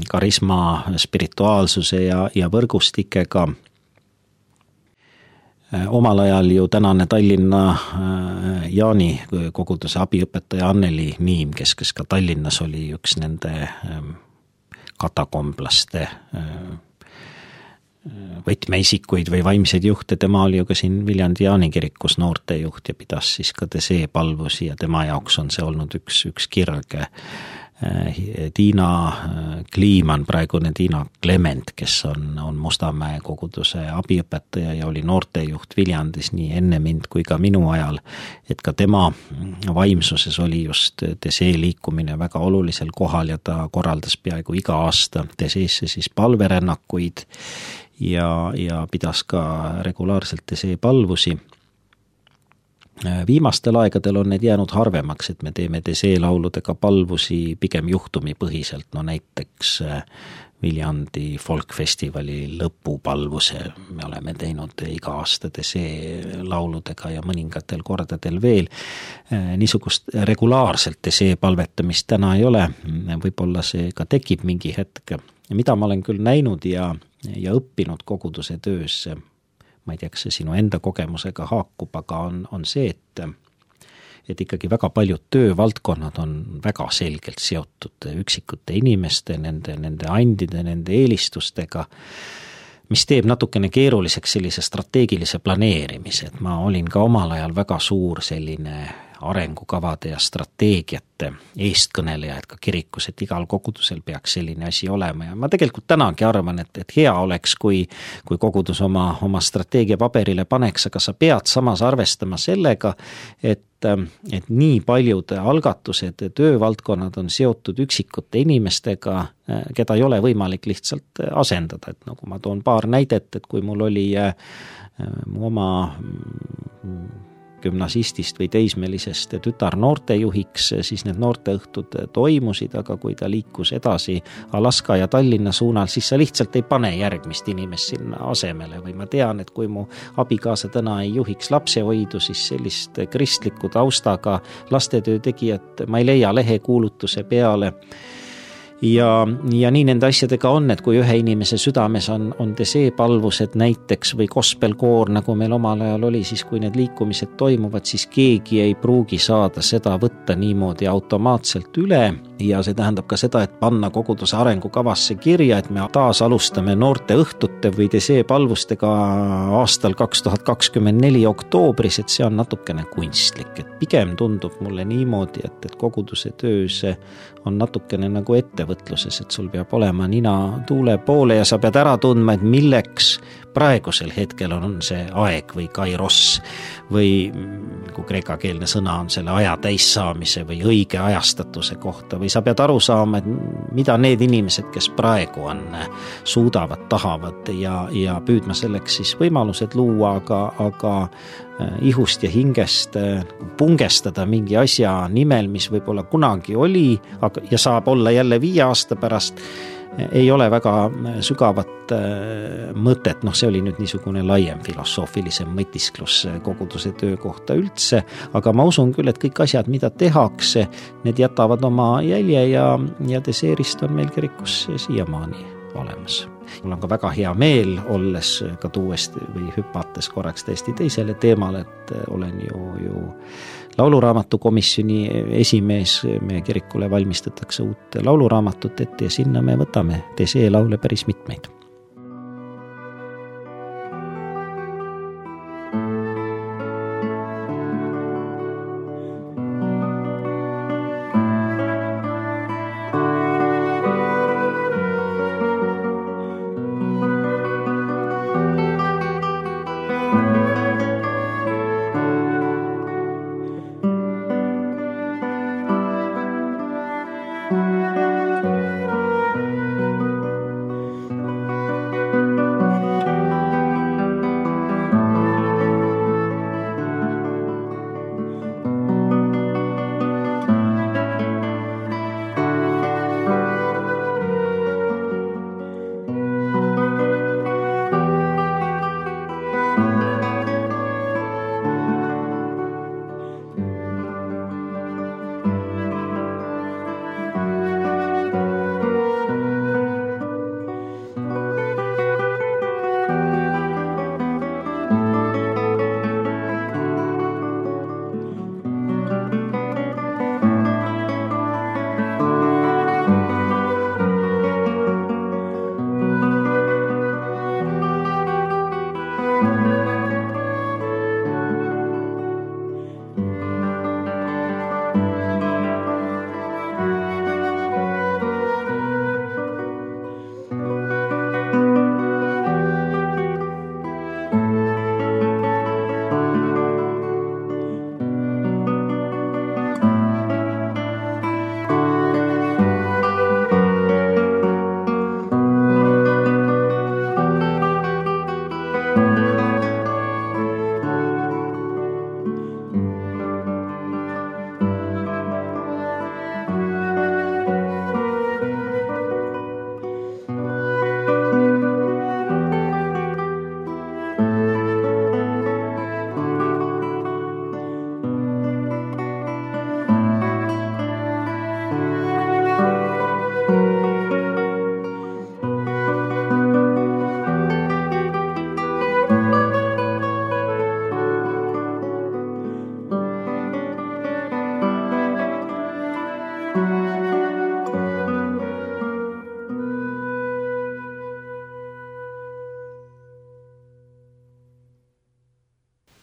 karisma, spirituaalsuse ja võrgustikega. Omal ajal ju tänane Tallinna Jaani koguduse abiõpetaja Anneli Niim, kes ka Tallinnas oli üks nende katakomblaste võtmeisikuid või vaimseid juhte, tema oli ju ka siin Viljandi Jaani kirikus noortejuht ja pidas siis ka Tesee palvusi ja tema jaoks on see olnud üks kirg. Tiina Kliiman, praegune Tiina Klement, kes on Mustamäe koguduse abiõpetaja ja oli noortejuht Viljandis nii enne mind kui ka minu ajal, et ka tema vaimsuses oli just Tesee liikumine väga olulisel kohal ja ta korraldas peaaegu iga aasta Teseesse siis palverännakuid ja pidas ka regulaarselt Tesee palvusi. Viimastel aegadel on need jäänud harvemaks, et me teeme Tesee lauludega palvusi pigem juhtumipõhiselt, no näiteks Viljandi folkfestivali lõpupalvuse me oleme teinud iga aasta Tesee lauludega ja mõningatel kordadel veel. Niisugust regulaarselt Tesee palvetamist täna ei ole, võib-olla see ka tekib mingi hetk. Mida ma olen küll näinud ja õppinud koguduse töös, ma ei tea, kas see sinu enda kogemusega haakub, aga on see, et ikkagi väga paljud töövaldkonnad on väga selgelt seotud üksikute inimeste, nende andide, nende eelistustega, mis teeb natukene keeruliseks sellise strateegilise planeerimise, et ma olin ka omal ajal väga suur selline arengukavade ja strateegiate eestkõneleja, et ka kirikus, et igal kogudusel peaks selline asi olema ja ma tegelikult tänagi arvan, et hea oleks, kui kogudus oma strateegia paberile paneks, aga sa pead samas arvestama sellega, et nii paljud algatused, töövaldkonnad on seotud üksikute inimestega, keda ei ole võimalik lihtsalt asendada, et nagu ma toon paar näidet, et kui mul oli mu oma gümnasistist või teismelisest tütar noortejuhiks, siis need noorteõhtud toimusid, aga kui ta liikus edasi Alaska ja Tallinna suunal, siis sa lihtsalt ei pane järgmist inimest sinna asemele või ma tean, et kui mu abikaasa täna ei juhiks lapsehoidu, siis sellist kristliku taustaga lastetöö tegijat ma ei leia lehekuulutuse peale. Ja nii nende asjadega on, et kui ühe inimese südames on Tesee palvused näiteks või gospelkoor, nagu meil omal ajal oli, siis kui need liikumised toimuvad, siis keegi ei pruugi saada seda võtta niimoodi automaatselt üle ja see tähendab ka seda, et panna koguduse arengukavasse kirja, et me taas alustame noorteõhtute või Tesee palvustega aastal 2024 oktoobris, et see on natukene kunstlik, et pigem tundub mulle niimoodi, et koguduse töös on natukene nagu ettevõtluses, et sul peab olema nina tuule poole ja sa pead ära tundma, et milleks praegusel hetkel on see aeg või kairos või kui kreekakeelne sõna on selle aja täissaamise või õige ajastatuse kohta või sa pead aru saama, et mida need inimesed, kes praegu on, suudavad, tahavad ja püüdma selleks siis võimalused luua, aga ihust ja hingest pungestada mingi asja nimel, mis võib-olla kunagi oli ja saab olla jälle 5 aasta pärast, ei ole väga sügavat mõtet, see oli nüüd niisugune laiem filosoofilisem mõtisklus koguduse töö kohta üldse, aga ma usun küll, et kõik asjad, mida tehakse, need jätavad oma jälje ja deseerist on meil kirikus siiamaani olemas. Mul on ka väga hea meel, olles ka tuues või hüpates korraks täiesti teisele teemale, et olen ju lauluraamatu komisjoni esimees, meie kirikule valmistatakse uut lauluraamatut ette ja sinna me võtame Desee laule päris mitmeid.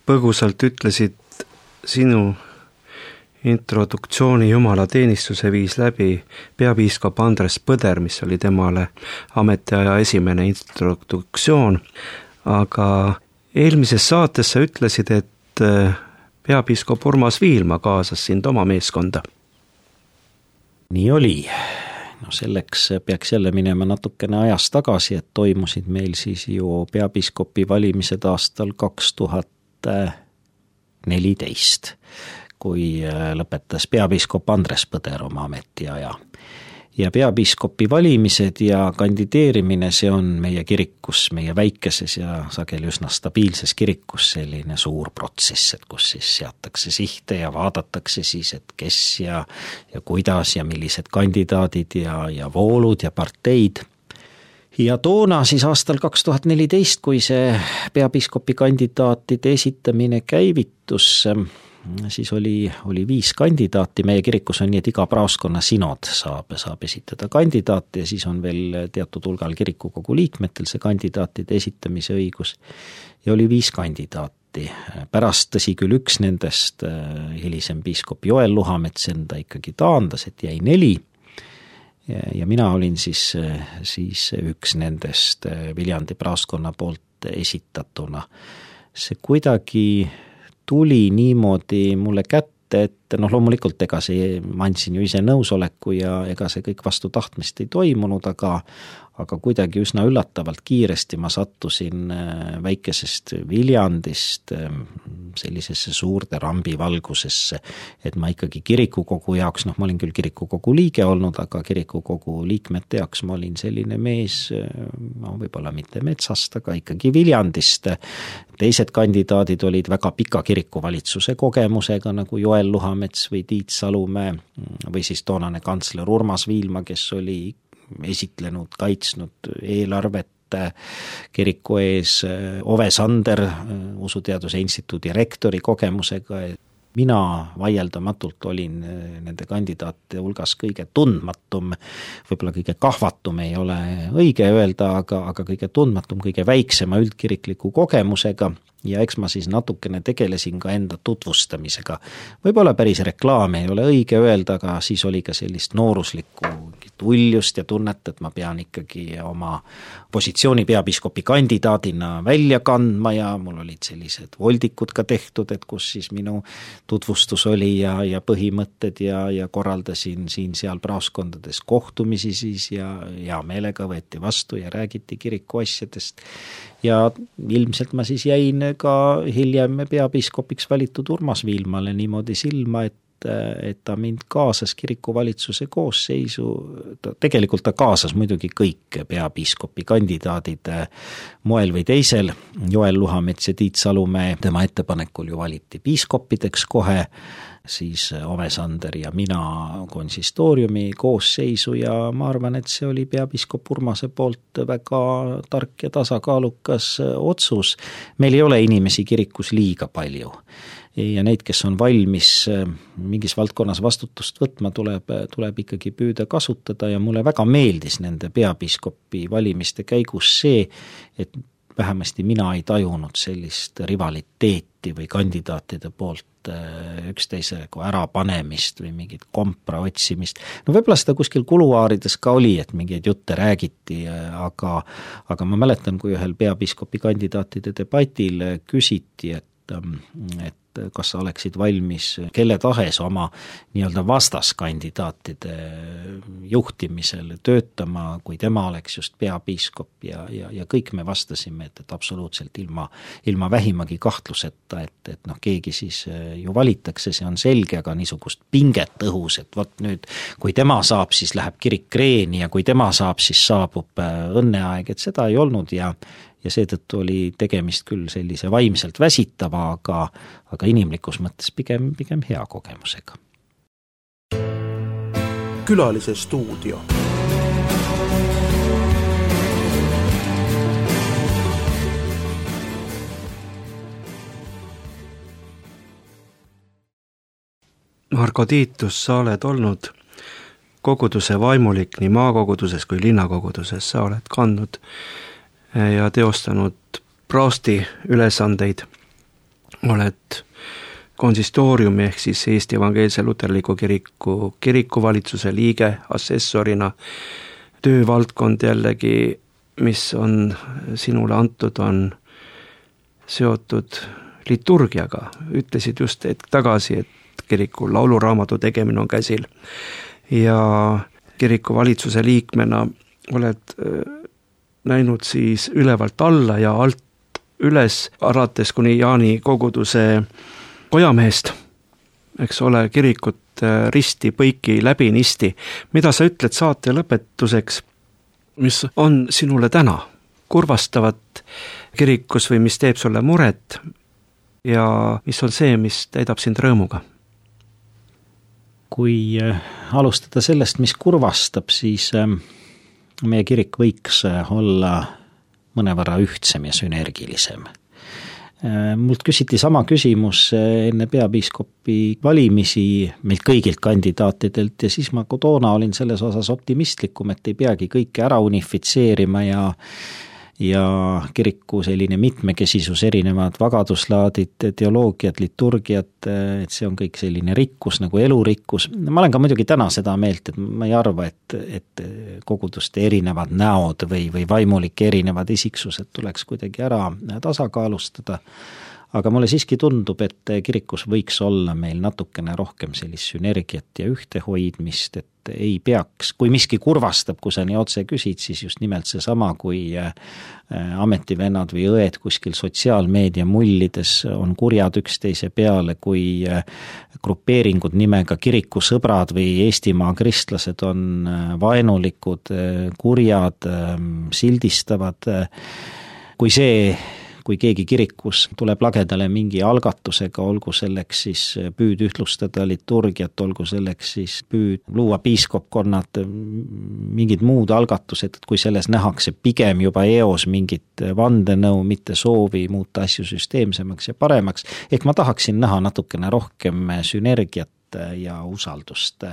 Põgusalt ütlesid sinu introduktsiooni jumalateenistuse viis läbi peapiiskop Andres Põder, mis oli temale ametiaja esimene introduktsioon, aga eelmises saates sa ütlesid, et peapiiskop Urmas Viilma kaasas sind oma meeskonda. Nii oli. Selleks peaks jälle minema natukene ajas tagasi, et toimusid meil siis ju peapiiskopi valimised aastal 2014, kui lõpetas peapiiskop Andres Põder oma ametiaja. Ja peapiiskopi valimised ja kandideerimine, see on meie kirikus, meie väikeses ja sageli üsna stabiilses kirikus selline suur protsess, et kus siis seatakse sihte ja vaadatakse siis, et kes ja kuidas ja millised kandidaadid ja voolud ja parteid. Ja toona siis aastal 2014, kui see peapiiskopi kandidaatide esitamine käivitus, siis oli 5 kandidaati, meie kirikus on nii, et iga praoskonna sinod saab esitada kandidaate ja siis on veel teatud hulgal kirikukogu liikmetel see kandidaatide esitamise õigus ja oli 5 kandidaati. Pärast tõsi küll üks nendest, hilisem piiskop Joel Luhamets enda ikkagi taandas, et jäi 4 ja mina olin siis üks nendest Viljandi praoskonna poolt esitatuna. See kuidagi tuli niimoodi mulle kätte, et et loomulikult ega ma andsin ju ise nõusoleku ja ega see kõik vastu tahtmist ei toimunud, aga kuidagi üsna üllatavalt kiiresti ma sattusin väikesest Viljandist sellisesse suurde rambivalgusesse, et ma ikkagi kirikukogu jaoks, ma olin küll kirikukogu liige olnud, aga kirikukogu liikmete jaoks ma olin selline mees, võib-olla mitte metsast, aga ikkagi Viljandist. Teised kandidaadid olid väga pika kirikuvalitsuse kogemusega, nagu Joel Luhamets või Tiit Salumäe või siis toonane kantsler Urmas Viilma, kes oli esitlenud, kaitsnud eelarvet kiriku ees, Ove Sander, Usuteaduse Instituudi rektori kogemusega. Mina vaieldamatult olin nende kandidaatide hulgas kõige tundmatum, võib-olla kõige kahvatum ei ole õige öelda, aga kõige tundmatum, kõige väiksema üldkirikliku kogemusega ja eks ma siis natukene tegelesin ka enda tutvustamisega. Võib-olla päris reklaam ei ole õige öelda, aga siis oli ka sellist nooruslikku uljust ja tunnet, et ma pean ikkagi oma positsiooni peapiiskopi kandidaadina välja kandma ja mul olid sellised voldikud ka tehtud, et kus siis minu tutvustus oli ja põhimõtted ja korraldasin siin-seal praoskondades kohtumisi siis ja hea meelega võeti vastu ja räägiti kiriku asjadest. Ja ilmselt ma siis jäin ka hiljem peapiiskopiks valitud Urmas Viilmale niimoodi silma, et ta mind kaasas kirikuvalitsuse koosseisu, tegelikult ta kaasas muidugi kõik peapiiskopi kandidaadid moel või teisel, Joel Luhamets ja Tiit Salumäe tema ettepanekul ju valiti piiskoppideks kohe, siis Ove Sander ja mina konsistooriumi koosseisu ja ma arvan, et see oli peapiiskop Urmase poolt väga tark ja tasakaalukas otsus. Meil ei ole inimesi kirikus liiga palju ja neid, kes on valmis mingis valdkonnas vastutust võtma, tuleb ikkagi püüda kasutada ja mulle väga meeldis nende peapiiskopi valimiste käigus see, et vähemasti mina ei tajunud sellist rivaliteeti või kandidaatide poolt üksteisega ärapanemist või mingit kompra otsimist. Võib-olla seda kuskil kuluaarides ka oli, et mingeid jutte räägiti, aga ma mäletan, kui ühel peapiiskopi kandidaatide debatil küsiti, et kas sa oleksid valmis kelle tahes oma nii-öelda vastaskandidaatide juhtimisel töötama, kui tema oleks just peapiiskop ja kõik me vastasime, et absoluutselt ilma vähimagi kahtluseta, et keegi siis ju valitakse, see on selge, aga niisugust pinget õhus, et vot nüüd, kui tema saab, siis läheb kirik kreeni ja kui tema saab, siis saabub õnneaeg, et seda ei olnud ja seetõttu oli tegemist küll sellise vaimselt väsitava, aga inimlikus mõttes pigem hea kogemusega. Külalise stuudio. Marko Tiitus, sa oled olnud koguduse vaimulik nii maakoguduses kui linnakoguduses, sa oled kandnud ja teostanud praosti ülesandeid, oled konsistooriumi ehk siis Eesti Evangeelse Luterliku Kiriku kirikuvalitsuse liige assessorina, töövaldkond jällegi, mis on sinule antud, on seotud liturgiaga. Ütlesid just hetk tagasi, et kiriku lauluraamatu tegemine on käsil ja kirikuvalitsuse liikmena oled näinud siis ülevalt alla ja alt üles, alates kuni Jaani koguduse kojamehest, eks ole, kirikut risti, põiki, läbi, nisti. Mida sa ütled saate lõpetuseks, mis on sinule täna kurvastavat kirikus või mis teeb sulle muret ja mis on see, mis täidab sind rõõmuga? Kui alustada sellest, mis kurvastab, siis meie kirik võiks olla mõnevõrra ühtsem ja sünergilisem. Mult küsiti sama küsimus enne peapiiskopi valimisi meilt kõigilt kandidaatidelt ja siis ma toona olin selles osas optimistlikum, et ei peagi kõike ära unifitseerima ja kiriku selline mitmekesisus, erinevad vagaduslaadid, teoloogiad, liturgiad, et see on kõik selline rikkus nagu elurikkus. Ma olen ka muidugi täna seda meelt, et ma ei arva, et koguduste erinevad näod või vaimulike erinevad isiksused tuleks kuidagi ära tasakaalustada, aga mulle siiski tundub, et kirikus võiks olla meil natukene rohkem sellist sünergiat ja ühtehoidmist, et ei peaks, kui miski kurvastab, kui sa nii otse küsid, siis just nimelt seesama, kui ametivennad või õed kuskil sotsiaalmeedia mullides on kurjad üksteise peale, kui grupeeringud nimega kirikusõbrad või Eestimaa kristlased on vaenulikud, kurjad, sildistavad, kui keegi kirikus tuleb lagedale mingi algatusega, olgu selleks siis püüd ühtlustada liturgiat, olgu selleks siis püüd luua piiskopkonnad, mingid muud algatused, et kui selles nähakse pigem juba eos mingit vandenõu, mitte soovi muuta asju süsteemsemaks ja paremaks, ehk ma tahaksin näha natukene rohkem sünergiat ja usaldust.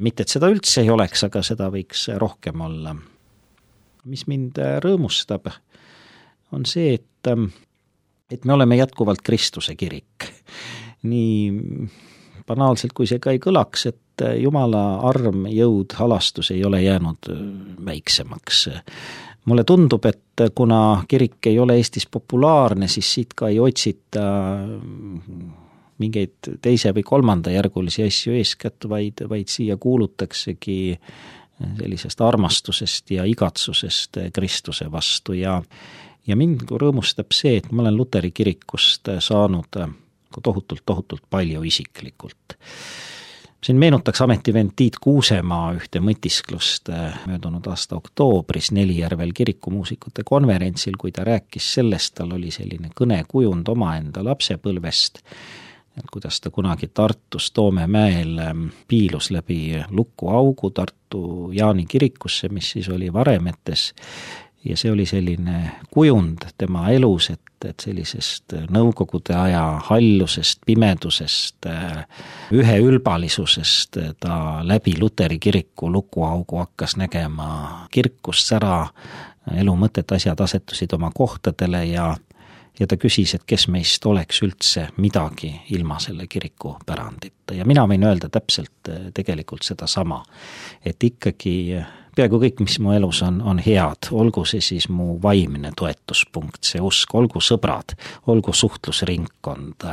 Mitte, et seda üldse ei oleks, aga seda võiks rohkem olla. Mis mind rõõmustab, on see, et me oleme jätkuvalt Kristuse kirik. Nii banaalselt, kui see ka ei kõlaks, et Jumala arm, jõud, halastus ei ole jäänud väiksemaks. Mulle tundub, et kuna kirik ei ole Eestis populaarne, siis siit ka ei otsita mingeid teise või kolmanda järgulisi asju eeskätt, vaid siia kuulutaksegi sellisest armastusest ja igatsusest Kristuse vastu ja mind rõõmustab see, et ma olen Luteri kirikust saanud tohutult palju isiklikult. Siin meenutaks ametivend Tiit Kuusemaa ühte mõtisklust möödunud aasta oktoobris Nelijärvel kirikumuusikute konverentsil, kui ta rääkis sellest, tal oli selline kõnekujund omaenda lapsepõlvest, kuidas ta kunagi Tartus Toomemäel piilus läbi lukuaugu Tartu Jaani kirikusse, mis siis oli Varemetes, ja see oli selline kujund tema elus, et sellisest nõukogude aja hallusest, pimedusest, üheülbalisusest ta läbi Luteri kiriku lukuaugu hakkas nägema kirkust sära, elu mõtet, asjad asetusid oma kohtadele ja ta küsis, et kes meist oleks üldse midagi ilma selle kiriku pärandita. Ja mina võin öelda täpselt tegelikult seda sama, et ikkagi peaaegu kõik, mis mu elus on head, olgu see siis mu vaimne toetuspunkt, see usk, olgu sõbrad, olgu suhtlusringkond,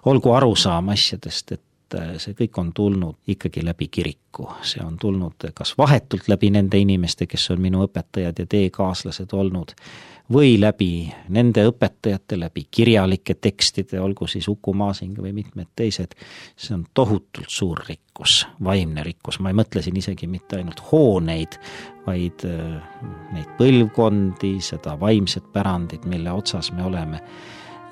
olgu arusaam asjadest, et see kõik on tulnud ikkagi läbi kiriku. See on tulnud kas vahetult läbi nende inimeste, kes on minu õpetajad ja teekaaslased olnud, või läbi nende õpetajate, läbi kirjalike tekstide, olgu siis Uku Masing või mitmed teised. See on tohutult suur rikkus, vaimne rikkus. Ma ei mõtle siin isegi mitte ainult hooneid, vaid neid põlvkondi, seda vaimset pärandit, mille otsas me oleme.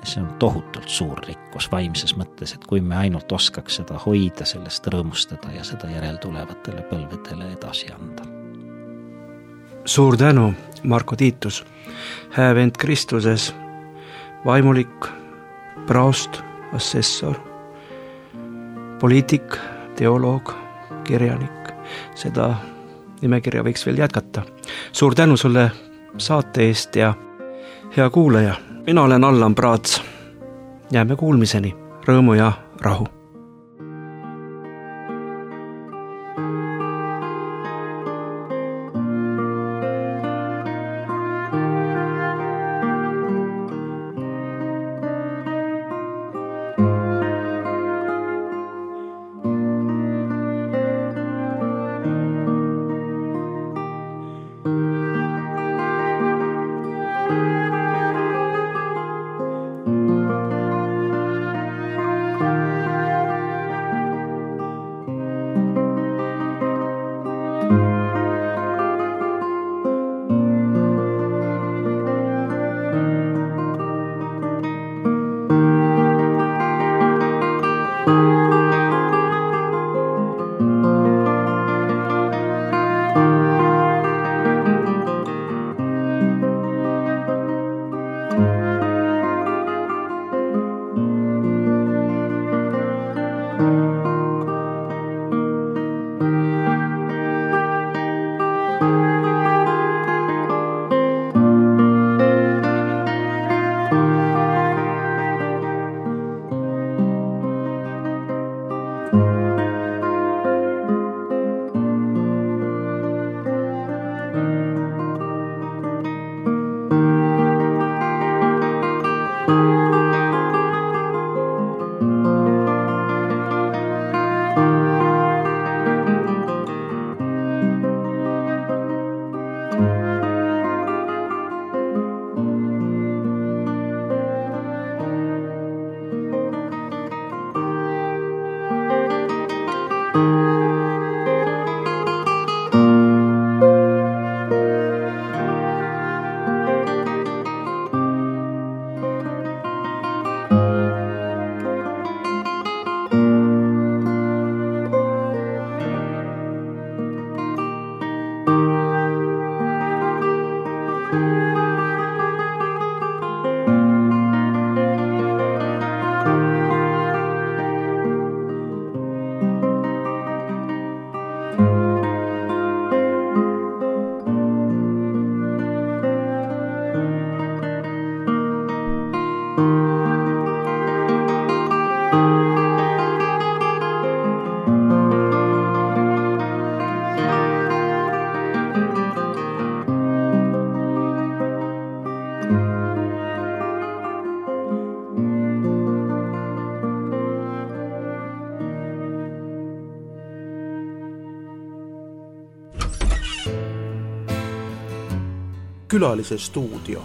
See on tohutult suur rikkus vaimses mõttes, et kui me ainult oskaks seda hoida, sellest rõõmustada ja seda järeltulevatele põlvedele edasi anda. Suur tänu, Marko Tiitus, häävend Kristuses, vaimulik, praost, assessor, poliitik, teoloog, kirjanik. Seda nimekirja võiks veel jätkata. Suur tänu sulle saate eest ja hea kuulaja. Mina olen Allan Praats. Jääme kuulmiseni. Rõõmu ja rahu. Külalise stuudio.